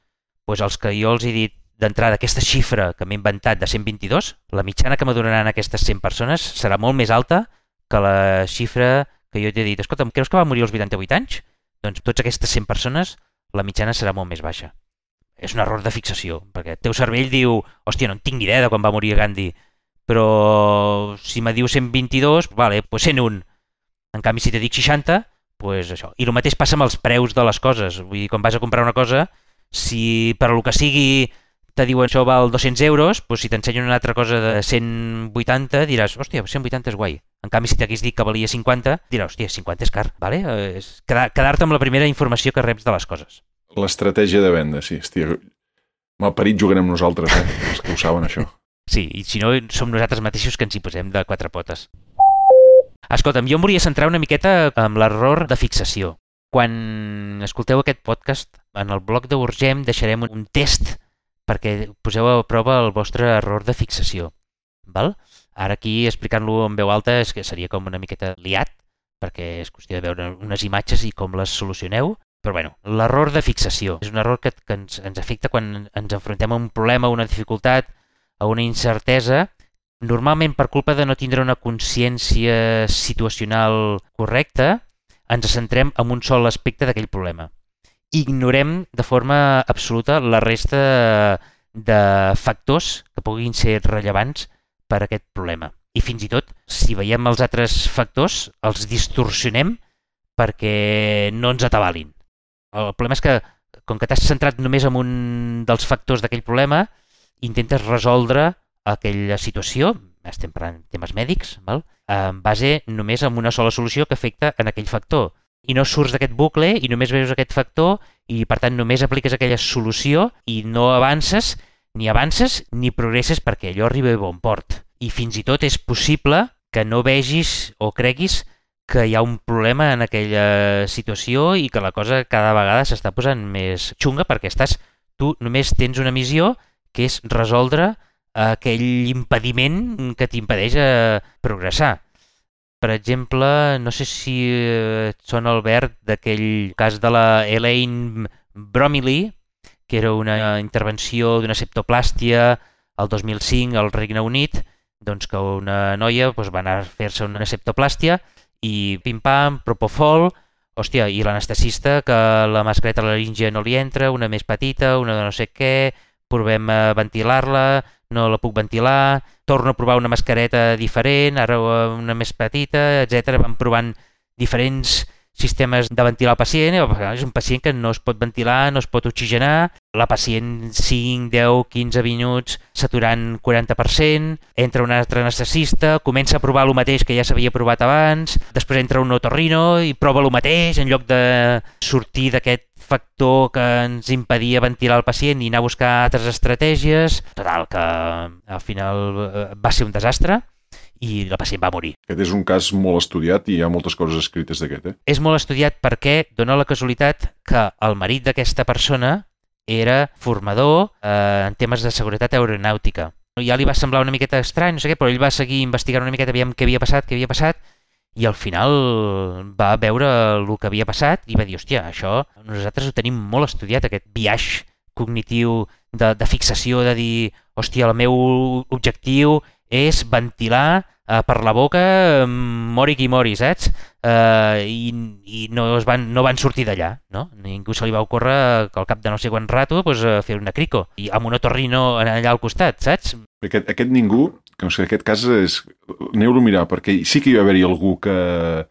doncs els que jo els he dit d'entrada aquesta xifra que m'he inventat de cent vint-i-dos, la mitjana que me donaran aquestes cent persones serà molt més alta que la xifra que jo t'he dit. Escolta'm, creus que va morir als vuitanta-vuit anys? Doncs tots aquestes cent persones, la mitjana serà molt més baixa. És un error de fixació, perquè el teu cervell diu, hòstia, no en tinc ni idea de quan va morir Gandhi, però si me diu cent vint-i-dos, vale, doncs cent un. En canvi, si te dic seixanta, doncs això. I el mateix passa amb els preus de les coses. Vull dir, quan vas a comprar una cosa, si per lo que sigui te diuen això val dos-cents euros, doncs si t'ensenyen una altra cosa de cent vuitanta diràs, hòstia, cent vuitanta és guai. En canvi, si t'hagués dit que valia cinquanta, diràs, hòstia, cinquanta és car, vale? És quedar-te amb la primera informació que reps de les coses. L'estratègia de venda, sí. Hòstia, malparit juguen amb nosaltres, eh? Els que ho saben, això. Sí, i si no, som nosaltres mateixos que ens hi posem de quatre potes. Escolta'm, jo em volia centrar una miqueta amb l'error de fixació. Quan escolteu aquest podcast, en el blog d'Urgem deixarem un test perquè poseu a prova el vostre error de fixació. Val? Ara aquí, explicant-lo en veu alta, és que seria com una miqueta liat, perquè és qüestió de veure unes imatges i com les solucioneu. Però bueno, l'error de fixació és un error que, que ens, ens afecta quan ens enfrontem a un problema, a una dificultat, a una incertesa, normalment per culpa de no tindre una consciència situacional correcta, ens centrem en un sol aspecte d'aquell problema. Ignorem de forma absoluta la resta de factors que puguin ser rellevants per a aquest problema. I fins i tot, si veiem els altres factors, els distorsionem perquè no ens atabalin. El problema és que, com que t'has centrat només en un dels factors d'aquell problema, intentes resoldre aquella situació, estem parlant de temes mèdics, val? En base només en una sola solució que afecta en aquell factor. I no surts d'aquest bucle i només veus aquest factor i per tant només apliques aquella solució i no avances, ni avances ni progresses perquè allò arriba a bon port. I fins i tot és possible que no vegis o creguis que hi ha un problema en aquella situació i que la cosa cada vegada s'està posant més xunga perquè estàs, tu només tens una missió que és resoldre aquell impediment que t'impedeix progressar. per exemple, no sé si et sona, Albert, d'aquell cas de la Elaine Bromiley, que era una intervenció d'una septoplàstia el dos mil cinc al Regne Unit, doncs que una noia doncs, va anar a fer-se una septoplàstia i pim-pam, propofol, hòstia, i l'anestesista que la mascareta laríngea no li entra, una més petita, una de no sé què, provem a ventilar-la, no la puc ventilar, torno a provar una mascareta diferent, ara una més petita, etcètera. Van provant diferents sistemes de ventilar el pacient, és un pacient que no es pot ventilar, no es pot oxigenar, la pacient cinc, deu, quinze minuts saturant quaranta per cent, entra un altre anestesista, comença a provar el mateix que ja s'havia provat abans, després entra un otorrino i prova el mateix en lloc de sortir d'aquest factor que ens impedia ventilar el pacient i anar a buscar altres estratègies. Total, que al final va ser un desastre i el pacient va morir. Aquest és un cas molt estudiat i hi ha moltes coses escrites d'aquest, eh? És molt estudiat perquè dona la casualitat que el marit d'aquesta persona era formador eh, en temes de seguretat aeronàutica. Ja li va semblar una miqueta estrany, no sé què, però ell va seguir investigant una miqueta aviam què havia passat, què havia passat, i al final va veure el que havia passat i va dir, hòstia, això nosaltres ho tenim molt estudiat, aquest biaix cognitiu de, de fixació, de dir, hòstia, el meu objectiu és ventilar eh, per la boca mori qui mori, saps? Eh, I i no, es van, no van sortir d'allà, no? Ningú se li va ocórrer que al cap de no sé quant rato pues, fer una crico, i amb un otorrino allà al costat, saps? Aquest, aquest ningú, que no sé, aquest cas és... Aneu-lo a mirar, perquè sí que hi va haver-hi algú que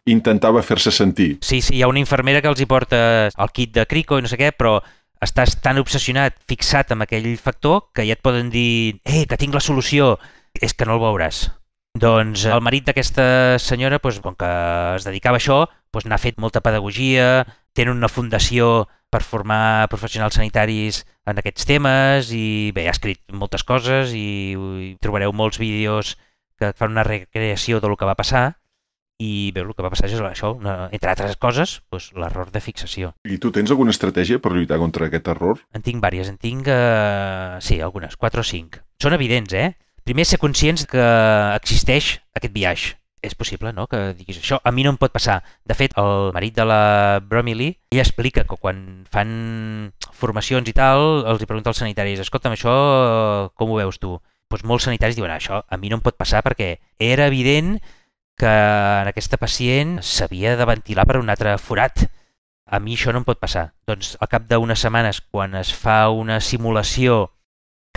intentava fer-se sentir. Sí, sí, hi ha una infermera que els hi porta el kit de crico i no sé què, però estàs tan obsessionat, fixat amb aquell factor, que ja et poden dir eh, que tinc la solució, és que no el veuràs. Doncs el marit d'aquesta senyora, doncs, com que es dedicava a això, doncs, n'ha fet molta pedagogia, tenen una fundació per formar professionals sanitaris en aquests temes i bé, ha escrit moltes coses i, i trobareu molts vídeos que fan una recreació del que va passar i bé, el que va passar és això, una, entre altres coses, doncs, l'error de fixació. I tu tens alguna estratègia per lluitar contra aquest error? En tinc vàries, en tinc, eh, sí, algunes, quatre o cinc. Són evidents, eh? Primer, ser conscients que existeix aquest biaix. És possible, no?, que diguis això. A mi no em pot passar. De fet, el marit de la Bromiley, ell explica que quan fan formacions i tal, els hi pregunta als sanitaris, escolta'm, això com ho veus tu? Doncs molts sanitaris diuen, això a mi no em pot passar perquè era evident que en aquesta pacient s'havia de ventilar per un altre forat. A mi això no em pot passar. Doncs al cap d'unes setmanes, quan es fa una simulació,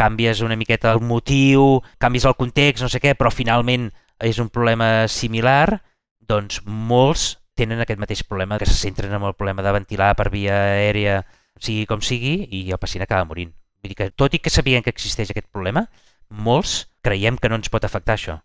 canvies una miqueta el motiu, canvies el context, no sé què, però finalment és un problema similar, doncs molts tenen aquest mateix problema, que se centren en el problema de ventilar per via aèria, sigui com sigui, i el pacient acaba morint. Vull dir que, tot i que sabien que existeix aquest problema, molts creiem que no ens pot afectar això.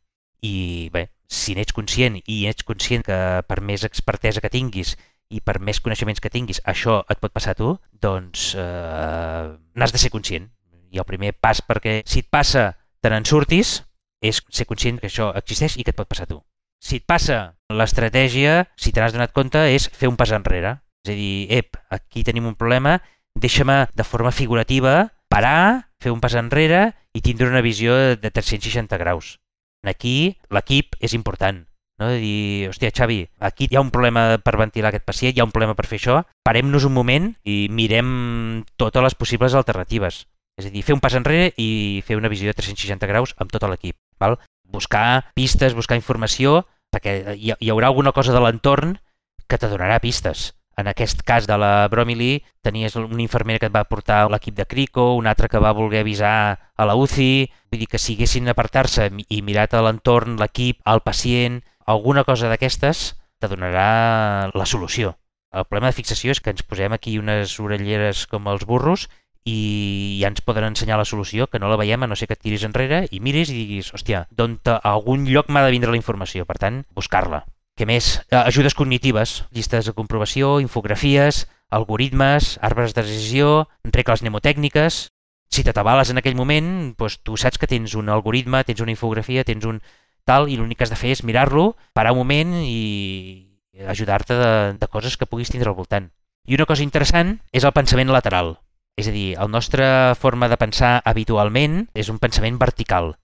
I bé, si n'ets conscient i ets conscient que per més expertesa que tinguis i per més coneixements que tinguis, això et pot passar a tu, doncs eh, n'has de ser conscient. I el primer pas perquè si et passa te n'en surtis és ser conscient que això existeix i que et pot passar a tu. Si et passa, l'estratègia, si te n'has donat compte, és fer un pas enrere. És a dir, ep, aquí tenim un problema, deixa-me de forma figurativa parar, fer un pas enrere i tindre una visió de tres-cents seixanta graus. Aquí l'equip és important. No? De dir, hòstia, Xavi, aquí hi ha un problema per ventilar aquest pacient, hi ha un problema per fer això, parem-nos un moment i mirem totes les possibles alternatives. És a dir, fer un pas enrere i fer una visió de tres-cents seixanta graus amb tot l'equip. Val? Buscar pistes, buscar informació, perquè hi, hi haurà alguna cosa de l'entorn que te donarà pistes. En aquest cas de la Bromiley, tenies una infermera que et va portar l'equip de crico, una altra que va voler avisar a la U C I, vull dir que si haguessin apartar-se i mirat a l'entorn, l'equip, el pacient, alguna cosa d'aquestes te donarà la solució. El problema de fixació és que ens posem aquí unes orelleres com els burros i ja ens poden ensenyar la solució, que no la veiem a no ser que et tiris enrere i miris i diguis, hòstia, d'on a algun lloc m'ha de vindre la informació, per tant, buscar-la. Què més? Ajudes cognitives, llistes de comprovació, infografies, algoritmes, arbres de decisió, regles mnemotècniques. Si t'atabales en aquell moment, doncs tu saps que tens un algoritme, tens una infografia, tens un tal, i l'únic que has de fer és mirar-lo, parar un moment i ajudar-te de, de coses que puguis tindre al voltant. I una cosa interessant és el pensament lateral. És a dir, la nostra forma de pensar habitualment és un pensament vertical.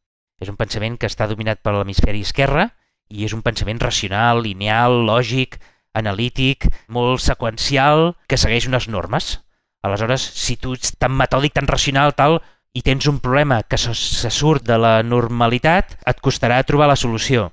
És un pensament que està dominat per l'hemisferi esquerre i és un pensament racional, lineal, lògic, analític, molt seqüencial, que segueix unes normes. Aleshores, si tu ets tan metòdic, tan racional, tal, i tens un problema que se, se surt de la normalitat, et costarà trobar la solució.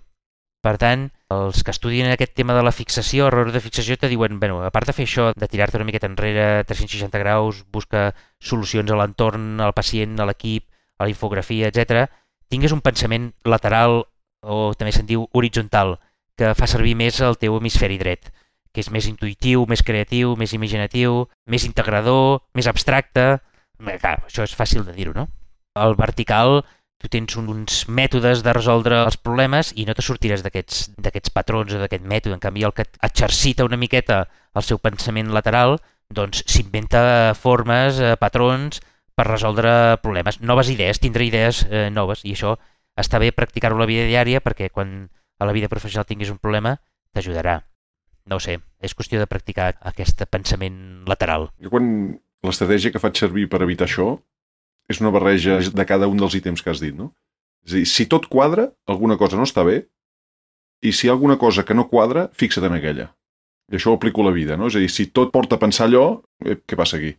Per tant, els que estudien aquest tema de la fixació, error de fixació, te diuen, bueno, a part de fer això, de tirar-te una miqueta enrere, tres-cents seixanta graus, busca solucions a l'entorn, al pacient, a l'equip, a la infografia, etcètera, tingues un pensament lateral, o també se'n diu horitzontal, que fa servir més el teu hemisferi dret, que és més intuïtiu, més creatiu, més imaginatiu, més integrador, més abstracte. Clar, això és fàcil de dir-ho, no? El vertical, tu tens uns mètodes de resoldre els problemes i no te sortiràs d'aquests d'aquests patrons o d'aquest mètode. En canvi, el que exercita una miqueta el seu pensament lateral, doncs s'inventa formes, eh, patrons per resoldre problemes. Noves idees, tindrà idees eh, noves, i això està bé practicar-ho a la vida diària perquè quan a la vida professional tinguis un problema t'ajudarà. No ho sé, és qüestió de practicar aquest pensament lateral. Jo quan l'estratègia que faig servir per evitar això és una barreja de cada un dels ítems que has dit, no? És a dir, si tot quadra, alguna cosa no està bé, i si hi ha alguna cosa que no quadra, fixa't en aquella. I això ho aplico a la vida, no? És a dir, si tot porta a pensar allò, eh, què passa aquí?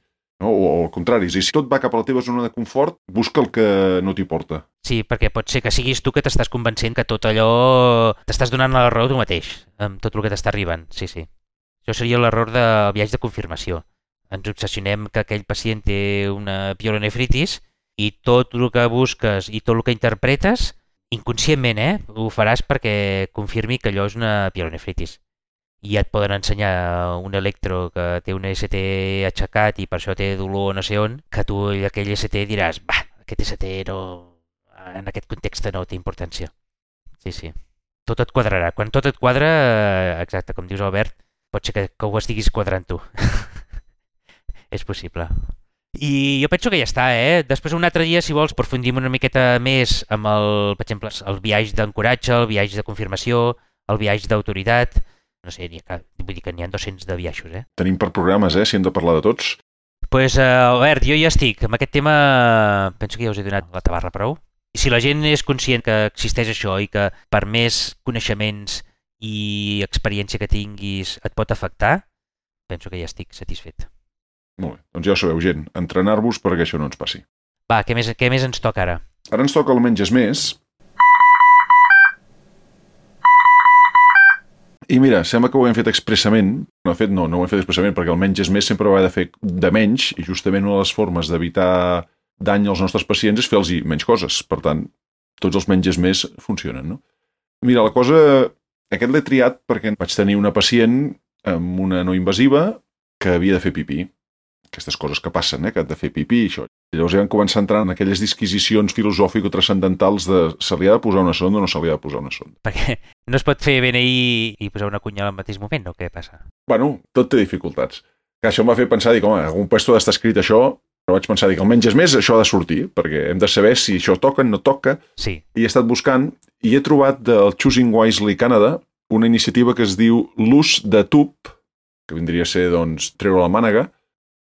No? O, o al contrari, és a dir, si tot va cap a la teva zona de confort, busca el que no t'hi porta. Sí, perquè pot ser que siguis tu que t'estàs convencent que tot allò t'estàs donant la raó tu mateix, amb tot el que t'està arribant, sí, sí. Això seria l'error del viatge de confirmació. Ens obsessionem que aquell pacient té una pielonefritis i tot el que busques i tot el que interpretes, inconscientment, eh, ho faràs perquè confirmi que allò és una pielonefritis. I et poden ensenyar un electro que té un E S T aixecat i per això té dolor no sé on, que tu aquell E S T diràs, bah, aquest E S T no, en aquest context no té importància. Sí, sí. Tot et quadrarà. Quan tot et quadra, exacte, com dius Albert, pot ser que, que ho estiguis quadrant tu. És possible. I jo penso que ja està, eh? Després un altre dia, si vols, aprofundim una miqueta més amb el, per exemple, el viatge d'encoratge, el viatge de confirmació, el viatge d'autoritat. No sé, vull dir que n'hi ha dos-cents de viatges, eh? Tenim per programes, eh? Si hem de parlar de tots. Doncs, pues, uh, Albert, jo ja estic. Amb aquest tema penso que ja us he donat la tabarra prou. I si la gent és conscient que existeix això i que per més coneixements i experiència que tinguis et pot afectar, penso que ja estic satisfet. Molt bé, doncs ja ho sabeu, gent, entrenar-vos perquè això no ens passi. Va, què més, què més ens toca ara? Ara ens toca el menges més. I mira, sembla que ho hem fet expressament. No, fet, no, no ho hem fet expressament perquè el menges més sempre ho ha de fer de menys i justament una de les formes d'evitar dany als nostres pacients és fer-los menys coses. Per tant, tots els menges més funcionen, no? Mira, la cosa... Aquest l'he triat perquè vaig tenir una pacient amb una no invasiva que havia de fer pipí. Aquestes coses que passen, eh? Que han de fer pipí i això. I llavors ja vam començar a entrar en aquelles disquisicions filosòfico-transcendentals de se li ha de posar una sonda o no se li ha de posar una sonda. Perquè no es pot fer B N I i posar una cunya al mateix moment, o què passa? Bueno, tot té dificultats. Que això em va fer pensar, dic, home, en algun puesto ha d'estar escrit això, però vaig pensar, dic, almenys és més, això ha de sortir, perquè hem de saber si això toca o no toca. Sí. I he estat buscant i he trobat del Choosing Wisely Canada una iniciativa que es diu l'ús de tub, que vindria a ser, doncs, treure la mànega.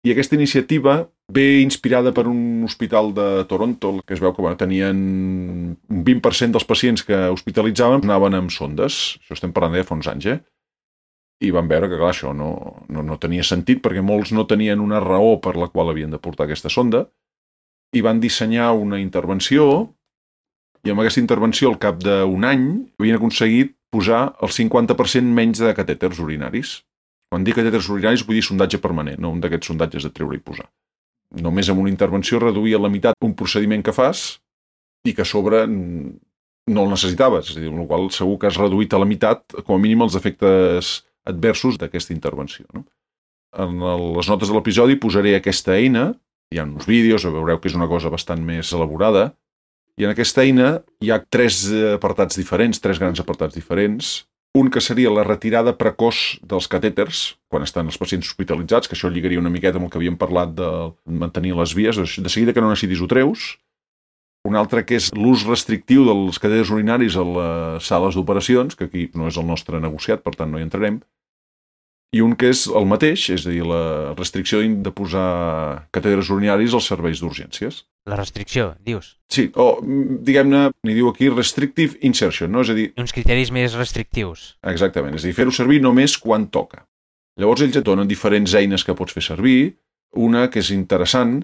I aquesta iniciativa ve inspirada per un hospital de Toronto, que es veu que bueno, tenien un vint per cent dels pacients que hospitalitzaven anaven amb sondes. Això estem parlant de fa uns anys, eh? I van veure que, clar, això no, no, no tenia sentit perquè molts no tenien una raó per la qual havien de portar aquesta sonda i van dissenyar una intervenció i amb aquesta intervenció al cap d'un any havien aconseguit posar el cinquanta per cent menys de catèters urinaris. Quan dic catèters urinaris vull dir sondatge permanent, no un d'aquests sondatges de treure i posar. Només amb una intervenció reduïa a la meitat un procediment que fas i que a sobre no el necessitaves, és a dir, amb la qual segur que has reduït a la meitat com a mínim els efectes adversos d'aquesta intervenció. No? En les notes de l'episodi posaré aquesta eina, hi ha uns vídeos, veureu que és una cosa bastant més elaborada, i en aquesta eina hi ha tres apartats diferents, tres grans apartats diferents. Un que seria la retirada precoç dels catèters, quan estan els pacients hospitalitzats, que això lligaria una miqueta amb el que havíem parlat de mantenir les vies, de seguida que no necessitis ho treus. Un altre que és l'ús restrictiu dels catèters urinaris a les sales d'operacions, que aquí no és el nostre negociat, per tant no hi entrarem. i un que és el mateix, és a dir, la restricció de posar catèters urinaris als serveis d'urgències. La restricció, dius? Sí, o diguem-ne, n'hi diu aquí restrictive insertion, no? És a dir... Uns criteris més restrictius. Exactament, és a dir, fer-ho servir només quan toca. Llavors ells et donen diferents eines que pots fer servir. Una que és interessant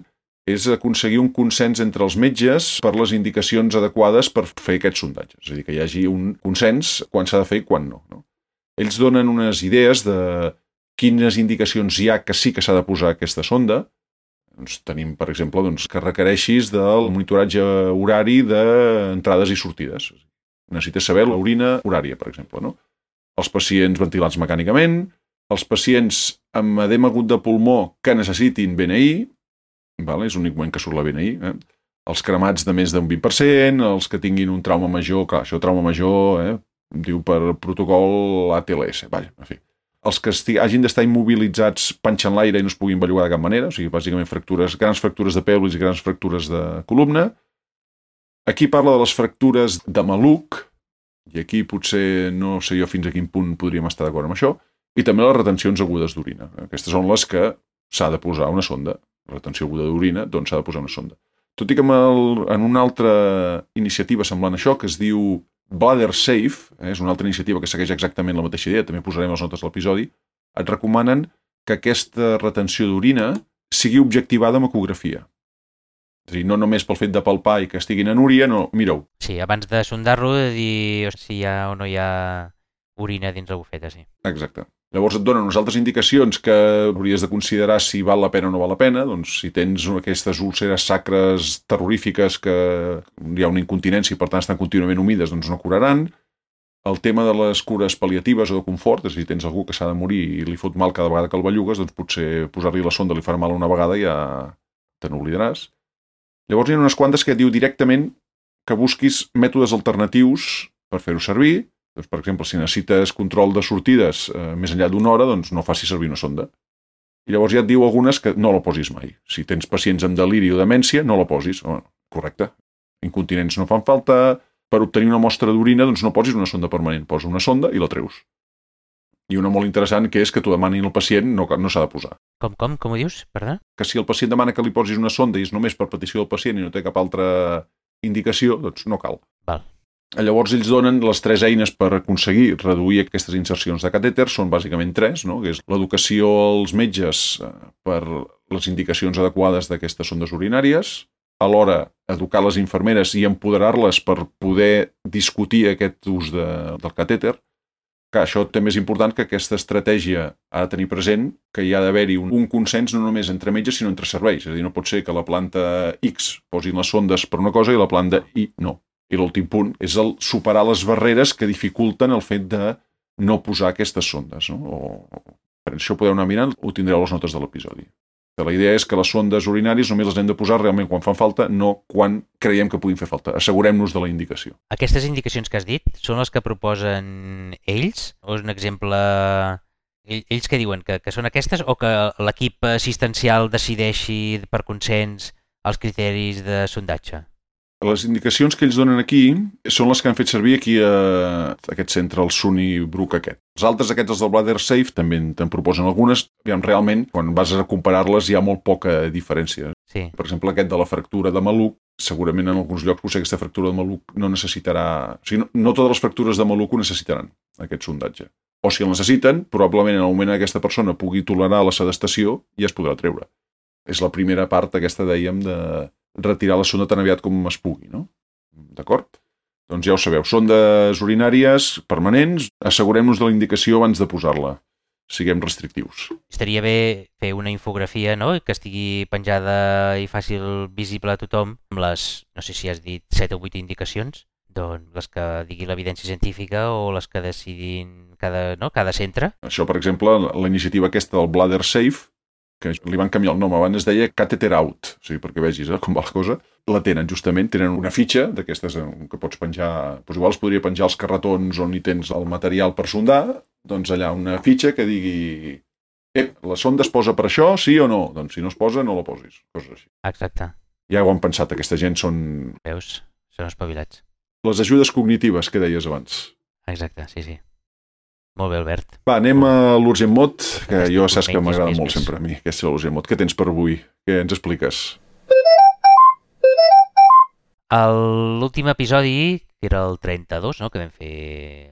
és aconseguir un consens entre els metges per les indicacions adequades per fer aquests sondatges. És a dir, que hi hagi un consens quan s'ha de fer i quan no, no? Ells donen unes idees de quines indicacions hi ha que sí que s'ha de posar aquesta sonda. Doncs tenim, per exemple, doncs, que requereixis del monitoratge horari d'entrades i sortides. Necessites saber l'orina horària, per exemple, no? Els pacients ventilats mecànicament, els pacients amb edema agut de pulmó que necessitin B N I, vale? És l'únic moment que surt la B N I, eh? Els cremats de més d'un vint per cent, els que tinguin un trauma major, clar, això trauma major, eh? Diu per protocol A T L S, vaja, en fi. Els que esti, hagin d'estar immobilitzats panxant l'aire i no es puguin bellugar de cap manera, o sigui, bàsicament fractures, grans fractures de pelvis i grans fractures de columna. Aquí parla de les fractures de maluc, i aquí potser no sé jo fins a quin punt podríem estar d'acord amb això, i també les retencions agudes d'orina. Aquestes són les que s'ha de posar una sonda. Retenció aguda d'orina, doncs s'ha de posar una sonda. Tot i que el, en una altra iniciativa semblant a això, que es diu Bladder Safe, eh, és una altra iniciativa que segueix exactament la mateixa idea, també posarem les notes de l'episodi, et recomanen que aquesta retenció d'orina sigui objectivada amb ecografia. És a dir, no només pel fet de palpar i que estiguin en úria, no, mira-ho. Sí, abans de sondar-lo, de dir si hi ha o no hi ha orina dins la bufeta, sí. Exacte. Llavors et donen unes altres indicacions que hauries de considerar si val la pena o no val la pena. Doncs si tens aquestes úlceres sacres terrorífiques que hi ha una incontinència i per tant estan contínuament humides, doncs no curaran. El tema de les cures pal·liatives o de confort, és a dir, tens algú que s'ha de morir i li fot mal cada vegada que el bellugues, doncs potser posar-li la sonda li farà mal una vegada i ja te n'oblidaràs. Llavors hi ha unes quantes que et diu directament que busquis mètodes alternatius per fer-ho servir. Doncs, per exemple, si necessites control de sortides eh, més enllà d'una hora, doncs no facis servir una sonda. I llavors ja et diu algunes que no la posis mai. Si tens pacients amb deliri o demència, no la posis. Oh, correcte. Incontinents no fan falta. Per obtenir una mostra d'orina, doncs no posis una sonda permanent. Posa una sonda i la treus. I una molt interessant que és que t'ho demanin al pacient, no, no s'ha de posar. Com, com? Com ho dius? Perdó? Que si el pacient demana que li posis una sonda i és només per petició del pacient i no té cap altra indicació, doncs no cal. Val. Llavors ells donen les tres eines per aconseguir reduir aquestes insercions de catèter, són bàsicament tres, no? Que és l'educació als metges per les indicacions adequades d'aquestes sondes urinàries, alhora educar les infermeres i empoderar-les per poder discutir aquest ús de, del catèter, que això també és important que aquesta estratègia ha de tenir present que hi ha d'haver-hi un, un consens no només entre metges sinó entre serveis, és a dir, no pot ser que la planta X posin les sondes per una cosa i la planta Y no. I l'últim punt és el superar les barreres que dificulten el fet de no posar aquestes sondes. No? O, per això podeu anar mirant, ho tindreu a les notes de l'episodi. La idea és que les sondes urinàries només les hem de posar realment quan fan falta, no quan creiem que puguin fer falta. Assegurem-nos de la indicació. Aquestes indicacions que has dit són les que proposen ells? O és un exemple... Ells què diuen? Que, que són aquestes o que l'equip assistencial decideixi per consens els criteris de sondatge? Les indicacions que ells donen aquí són les que han fet servir aquí a aquest centre, el SUNY Brook aquest. Els altres aquests, els del Bladder Safe, també te'n proposen algunes. Aviam, realment, quan vas a comparar-les hi ha molt poca diferència. Sí. Per exemple, aquest de la fractura de maluc, segurament en alguns llocs potser aquesta fractura de maluc no necessitarà... O sigui, no, no totes les fractures de maluc ho necessitaran, aquest sondatge. O si el necessiten, probablement en el moment que aquesta persona pugui tolerar la sedestació ja es podrà treure. És la primera part aquesta, dèiem, de retirar la sonda tan aviat com es pugui, no? D'acord? Doncs ja ho sabeu, sondes urinàries permanents, assegurem-nos de la indicació abans de posar-la. Siguem restrictius. Estaria bé fer una infografia, no?, que estigui penjada i fàcil visible a tothom, amb les, no sé si has dit, set o vuit indicacions, doncs les que digui l'evidència científica o les que decidin cada, no? cada centre. Això, per exemple, la iniciativa aquesta del Bladder Safe, que li van canviar el nom, abans es deia Catheter Out, o sigui, perquè vegis eh, com va la cosa, la tenen justament, tenen una fitxa d'aquestes que pots penjar, doncs igual es podria penjar els carretons on hi tens el material per sondar, doncs allà una fitxa que digui ep, la sonda es posa per això, sí o no? Doncs si no es posa, no la posis, coses així. Exacte. Ja ho han pensat, aquesta gent són... Veus? Són espavilats. Les ajudes cognitives que deies abans. Exacte, sí, sí. Molt bé, Albert. Va, anem a l'Urgent Mot, que Aquest jo saps que menys, m'agrada més, molt més. sempre a mi, aquesta és l'Urgent Mot. Què tens per avui? Què ens expliques? A l'últim episodi, que era el trenta-dos, no?, que vam fer...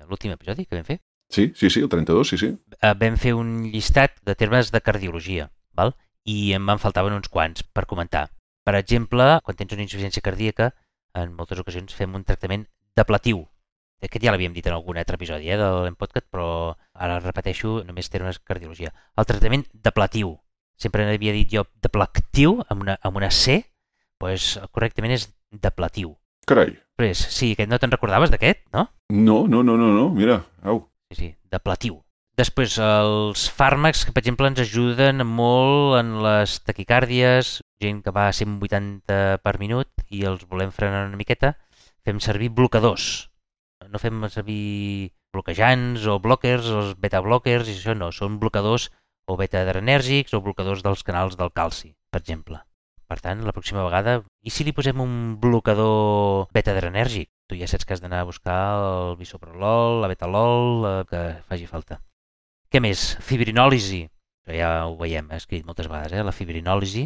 L'últim episodi que vam fer? Sí, sí, sí, el trenta-dos, sí, sí. Eh, vam fer un llistat de termes de cardiologia, val? I em van faltaven uns quants per comentar. Per exemple, quan tens una insuficiència cardíaca, en moltes ocasions fem un tractament depletiu. Aquest ja l'havíem dit en algun altre episodi eh, de l'Empodcast, però ara repeteixo només termes cardiologia. El tractament depletiu. Sempre n'havia dit jo deplectiu, amb una, amb una C, doncs correctament és depletiu. Carai. Després, sí, aquest no te'n recordaves d'aquest, no? No, no, no, no, no, mira, au. Sí, sí, depletiu. Després, els fàrmacs que, per exemple, ens ajuden molt en les taquicàrdies, gent que va a cent vuitanta per minut i els volem frenar una miqueta, fem servir blocadors. No fem servir bloquejants o blockers, els beta-blockers, i això no, són blocadors o beta-adrenèrgics o blocadors dels canals del calci, per exemple. Per tant, la pròxima vegada, i si li posem un blocador beta-adrenèrgic? Tu ja saps que has d'anar a buscar el bisoprolol, la betalol, el que faci falta. Què més? Fibrinòlisi. Això ja ho veiem, he escrit moltes vegades, eh? La fibrinòlisi,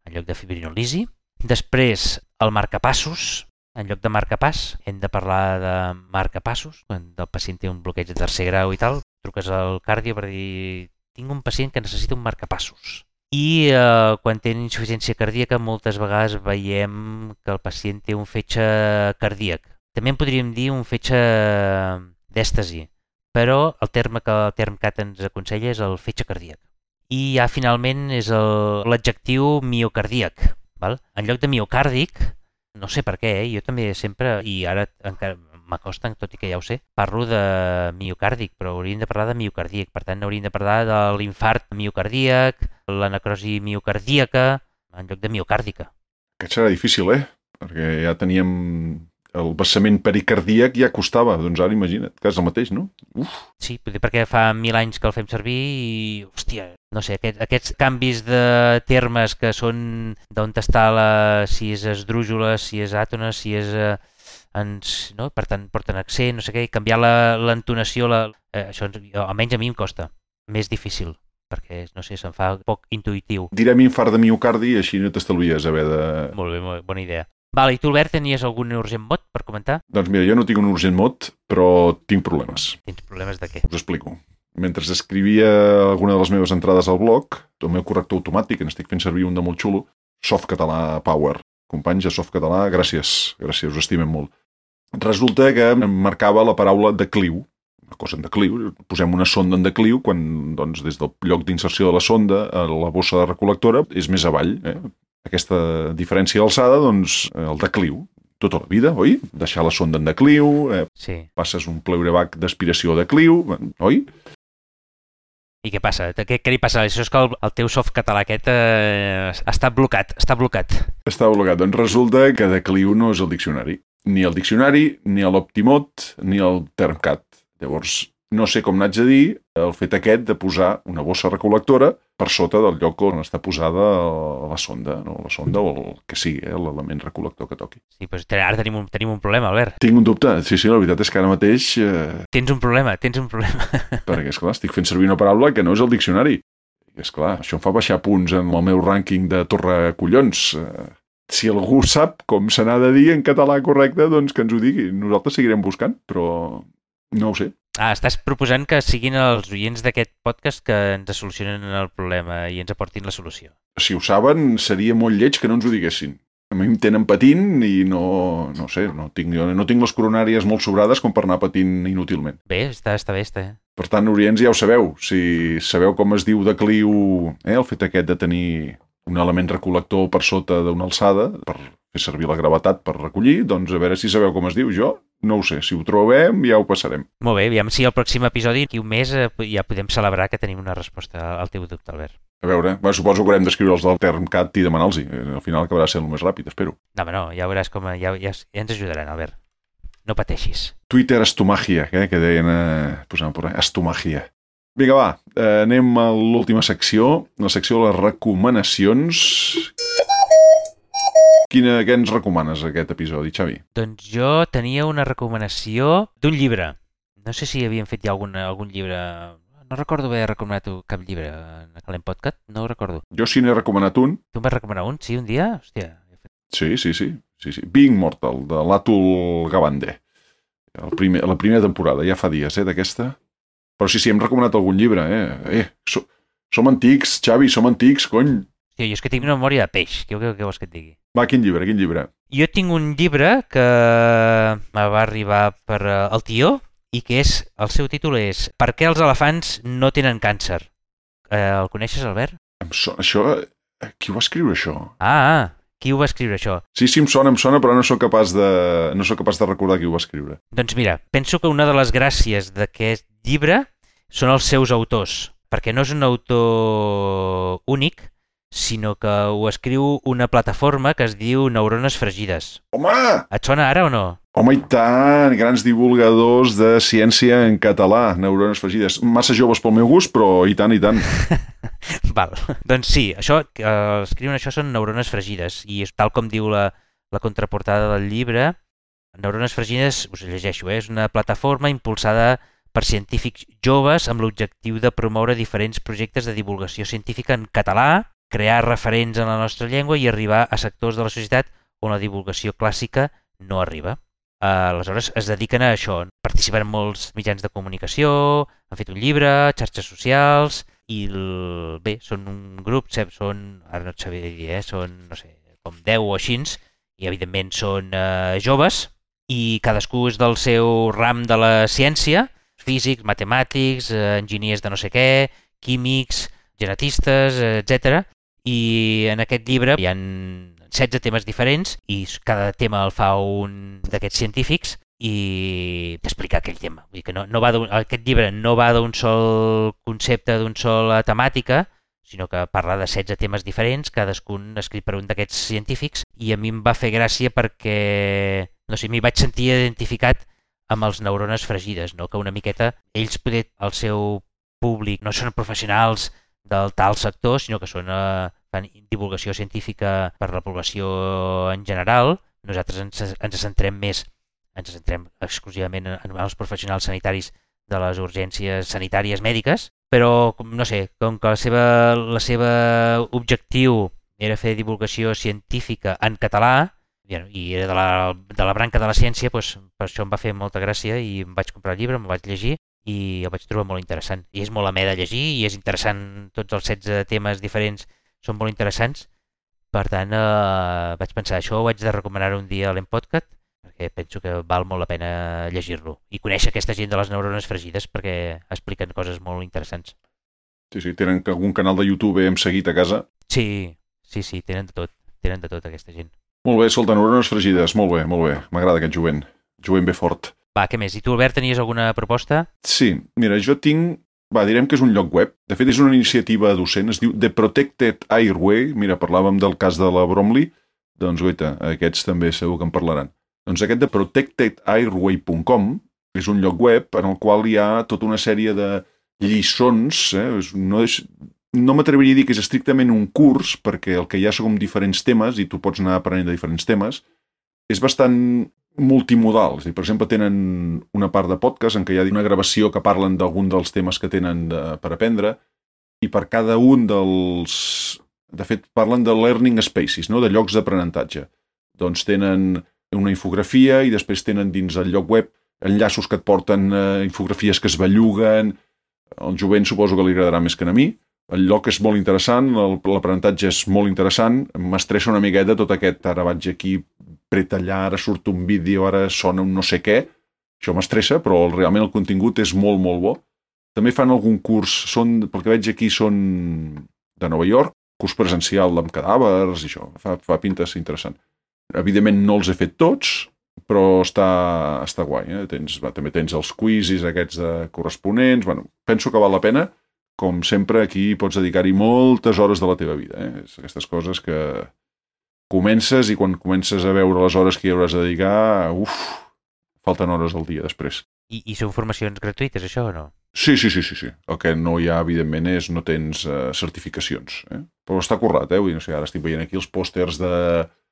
en lloc de fibrinolisi. Després, el marcapassos. En lloc de marcapàs, hem de parlar de marcapassos. Quan el pacient té un bloqueig de tercer grau i tal, truques al cardio per dir tinc un pacient que necessita un marcapassos. I eh, quan té insuficiència cardíaca, moltes vegades veiem que el pacient té un fetge cardíac. També en podríem dir un fetge d'èstasi, però el terme que el TermCat ens aconsella és el fetge cardíac. I ja finalment és l'adjectiu miocardíac. Val? En lloc de miocàrdic, no sé per què, eh? Jo també sempre, i ara encara m'acosta, tot i que ja ho sé, parlo de miocàrdic, però hauríem de parlar de miocardíac. Per tant, hauríem de parlar de l'infart miocardíac, la necrosi miocardíaca, en lloc de miocàrdica. Aquest serà difícil, eh? Perquè ja teníem el vessament pericardíac, ja costava. Doncs ara imagina't, que és el mateix, no? Uf. Sí, potser perquè fa mil anys que el fem servir i, hòstia, no sé, aquest, aquests canvis de termes que són d'on està la, si és esdrújula, si és àtona, si és... Eh, ens, no? Per tant, porten accent, no sé què, canviar l'entonació, la, eh, això almenys a mi em costa. Més difícil, perquè, no sé, se'm fa poc intuïtiu. Direm infart de miocardi i així no t'estalvies haver de... Molt bé, molt bé, bona idea. Vale, i tu, Albert, tenies algun urgent mot per comentar? Doncs mira, jo no tinc un urgent mot, però tinc problemes. Tens problemes de què? Us explico. Mentre escrivia alguna de les meves entrades al blog, el meu corrector automàtic, en estic fent servir un de molt xulo, Softcatalà Power. Companys de Softcatalà, gràcies, gràcies, us estimem molt. Resulta que em marcava la paraula decliu, una cosa en decliu, posem una sonda en decliu quan doncs, des del lloc d'inserció de la sonda a la bossa de recol·lectora és més avall. Eh? Aquesta diferència d'alçada, doncs, el decliu. Tota la vida, oi? Deixar la sonda en decliu, eh? Sí. Passes un pleurebac d'aspiració a decliu, oi? I què passa? Què, què li passa? Això és que el, el teu Softcatalà aquest eh, està blocat, està blocat. Està blocat. Doncs resulta que decliu no és el diccionari. Ni el diccionari, ni l'Optimot, ni el TermCat. Llavors, no sé com n'haig de dir el fet aquest de posar una bossa recol·lectora per sota del lloc on està posada la sonda, no? La sonda o el que sigui, eh? L'element recol·lector que toqui. Sí, doncs ara tenim un, tenim un problema, Albert. Tinc un dubte. Sí, sí, la veritat és que ara mateix... Eh... Tens un problema, tens un problema. Perquè, esclar, estic fent servir una paraula que no és el diccionari. I, esclar, això em fa baixar punts en el meu rànquing de torre collons. Eh... Si algú sap com se n'ha de dir en català correcte, doncs que ens ho digui. Nosaltres seguirem buscant, però no ho sé. Ah, estàs proposant que siguin els oients d'aquest podcast que ens solucionen el problema i ens aportin la solució. Si ho saben, seria molt lleig que no ens ho diguessin. A mi em tenen patint i no, no sé, no tinc, no tinc les coronàries molt sobrades com per anar patint inútilment. Bé, està, està bé, està. Per tant, orients ja ho sabeu. Si sabeu com es diu decliu, eh, el fet aquest de tenir un element recol·lector per sota d'una alçada, per fer servir la gravetat per recollir, doncs a veure si sabeu com es diu. Jo no ho sé, si ho trobem ja ho passarem. Molt bé, aviam si el pròxim episodi, aquí un mes, ja podem celebrar que tenim una resposta al teu dubte, Albert. A veure, bueno, suposo que haurem d'escriure els del TermCat i demanar-los-hi. Al final acabarà sent el més ràpid, espero. No, home, no, ja veuràs com ja, ja, ja ens ajudaran, Albert. No pateixis. Twitter estomagia, eh, que deien, eh, posant per estomagia. Vinga, va, eh, anem a l'última secció, la secció de les recomanacions. Quina, què ens recomanes aquest episodi, Xavi? Doncs jo tenia una recomanació d'un llibre. No sé si havien fet ja algun, algun llibre... No recordo haver recomanat cap llibre en Calent Podcast, no ho recordo. Jo sí n'he recomanat un. Tu em vas recomanar un, sí, un dia? Hòstia. Sí, sí, sí. sí, sí. Being Mortal, de l'Atul Gawande. El primer, la primera temporada, ja fa dies, eh, d'aquesta. Però sí, sí, hem recomanat algun llibre, eh? Eh, so, som antics, Xavi, som antics, cony. Hòstia, jo és que tinc una memòria de peix, què, què, què vols que et digui? Va, quin llibre, quin llibre? Jo tinc un llibre que me va arribar per uh, el tió i que és, el seu títol és Per què els elefants no tenen càncer? Eh, el coneixes, Albert? Em sona, això... Qui ho va escriure, això? Ah, ah, qui ho va escriure, això? Sí, sí, em sona, em sona, però no sóc capaç de, no sóc capaç de recordar qui ho va escriure. Doncs mira, penso que una de les gràcies d'aquest llibre són els seus autors, perquè no és un autor únic, sinó que ho escriu una plataforma que es diu Neurones Fregides. Home! Et sona ara o no? Home, i tant! Grans divulgadors de ciència en català, Neurones Fregides. Massa joves pel meu gust, però i tant, i tant. Val. Doncs sí, això que eh, escriuen això són Neurones Fregides, i és tal com diu la, la contraportada del llibre. Neurones Fregides, us llegeixo, eh, és una plataforma impulsada per científics joves amb l'objectiu de promoure diferents projectes de divulgació científica en català, crear referents en la nostra llengua i arribar a sectors de la societat on la divulgació clàssica no arriba. Uh, aleshores es dediquen a això, participen en molts mitjans de comunicació, han fet un llibre, xarxes socials, i el... bé, són un grup, són, ara no et sabia dir, eh, són, no sé, com deu o així, i evidentment són uh, joves, i cadascú és del seu ram de la ciència, físics, matemàtics, uh, enginyers de no sé què, químics, genetistes, etcètera. I en aquest llibre hi ha setze temes diferents i cada tema el fa un d'aquests científics i t'explica aquell tema. Vull dir que no, no va aquest llibre no va d'un sol concepte, d'una sola temàtica, sinó que parla de setze temes diferents, cadascun escrit per un d'aquests científics, i a mi em va fer gràcia perquè, no sé, m'hi vaig sentir identificat amb els Neurones Fregides, no? Que una miqueta ells, poder, el seu públic, no són professionals del tal sector, sinó que són, eh, fan divulgació científica per la població en general. Nosaltres ens, ens centrem més, ens centrem exclusivament en, en els professionals sanitaris de les urgències sanitàries mèdiques, però, no sé, com que la seva, la seva objectiu era fer divulgació científica en català, i era de la, de la branca de la ciència, doncs per això em va fer molta gràcia i em vaig comprar el llibre, me'l vaig llegir, i el vaig trobar molt interessant. I és molt amè de llegir i és interessant, tots els setze temes diferents són molt interessants. Per tant, eh, vaig pensar, això ho haig de recomanar un dia a l'Empodcast, perquè penso que val molt la pena llegir-lo. I conèixer aquesta gent de les Neurones Fregides perquè expliquen coses molt interessants. Sí, sí, tenen algun canal de YouTube hem seguit a casa? Sí, sí, sí, tenen de tot, tenen de tot aquesta gent. Molt bé, escolta, Neurones Fregides, molt bé, molt bé. M'agrada aquest jovent, jovent bé fort. Va, què més? I tu, Albert, tenies alguna proposta? Sí, mira, jo tinc... Va, direm que és un lloc web. De fet, és una iniciativa docent, es diu The Protected Airway. Mira, parlàvem del cas de la Bromley. Doncs, guaita, aquests també segur que en parlaran. Doncs aquest de protected airway punt com és un lloc web en el qual hi ha tota una sèrie de lliçons. Eh? No, és... no m'atreviria a dir que és estrictament un curs, perquè el que hi ha són diferents temes i tu pots anar aprenent de diferents temes. És bastant multimodal. És a dir, per exemple, tenen una part de podcast en què hi ha una gravació que parlen d'algun dels temes que tenen de, per aprendre, i per cada un dels... De fet, parlen de learning spaces, no? De llocs d'aprenentatge. Doncs tenen una infografia i després tenen dins el lloc web enllaços que et porten eh, infografies que es belluguen. Al jovent suposo que li agradarà més que a mi. El lloc és molt interessant, l'aprenentatge és molt interessant, m'estressa una miqueta tot aquest, ara vaig aquí pretallar, ara surt un vídeo, ara sona un no sé què, això m'estressa, però realment el contingut és molt, molt bo. També fan algun curs, són, pel que veig aquí són de Nova York, curs presencial amb cadàvers i això, fa, fa pintes interessant. Evidentment no els he fet tots, però està, està guai, eh? Tens, va, també tens els quizzes aquests de corresponents, bueno, penso que val la pena. Com sempre, aquí pots dedicar-hi moltes hores de la teva vida. Eh? És aquestes coses que comences i quan comences a veure les hores que hi hauràs de dedicar, uf, falten hores al dia després. I, i són formacions gratuïtes, això, o no? Sí, sí, sí, sí, sí. El que no hi ha, evidentment, és no tens uh, certificacions. Eh? Però està currat, eh? Vull dir, no sé, ara estic veient aquí els pòsters de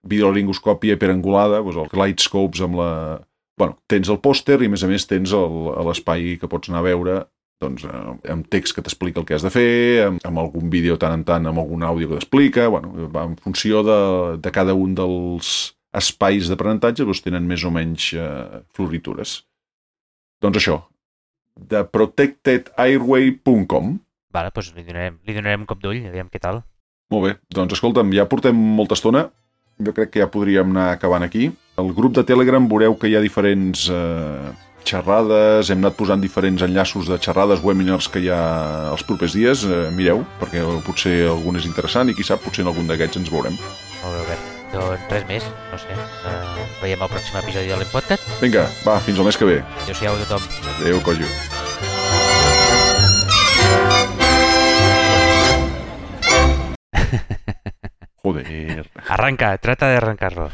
videolaringoscòpia hiperangulada, doncs el Lightscopes amb la, bueno, tens el pòster i a més a més tens l'espai que pots anar a veure doncs, amb text que t'explica el que has de fer, amb, amb algun vídeo tant en tant, amb algun àudio que t'explica, bueno, va en funció de, de cada un dels espais d'aprenentatge, doncs tenen més o menys eh, floritures. Doncs això, de protected airway punt com. Vale, doncs li donarem, li donarem un cop d'ull, aviam què tal. Molt bé, doncs escolta'm, ja portem molta estona, jo crec que ja podríem anar acabant aquí. Al grup de Telegram veureu que hi ha diferents... Eh, xerrades, hem anat posant diferents enllaços de xerrades, webinars que hi ha els propers dies, eh, mireu, perquè potser algun és interessant i qui sap, potser en algun d'aquests ens veurem. Molt bé, Albert. Doncs res més, no sé, uh, veiem el pròxim episodi de l'Empodcast. Vinga, va, fins al mes que ve. Adéu-siau a tothom. Adéu, cojo. Joder. Arranca, trata de arrancarlo.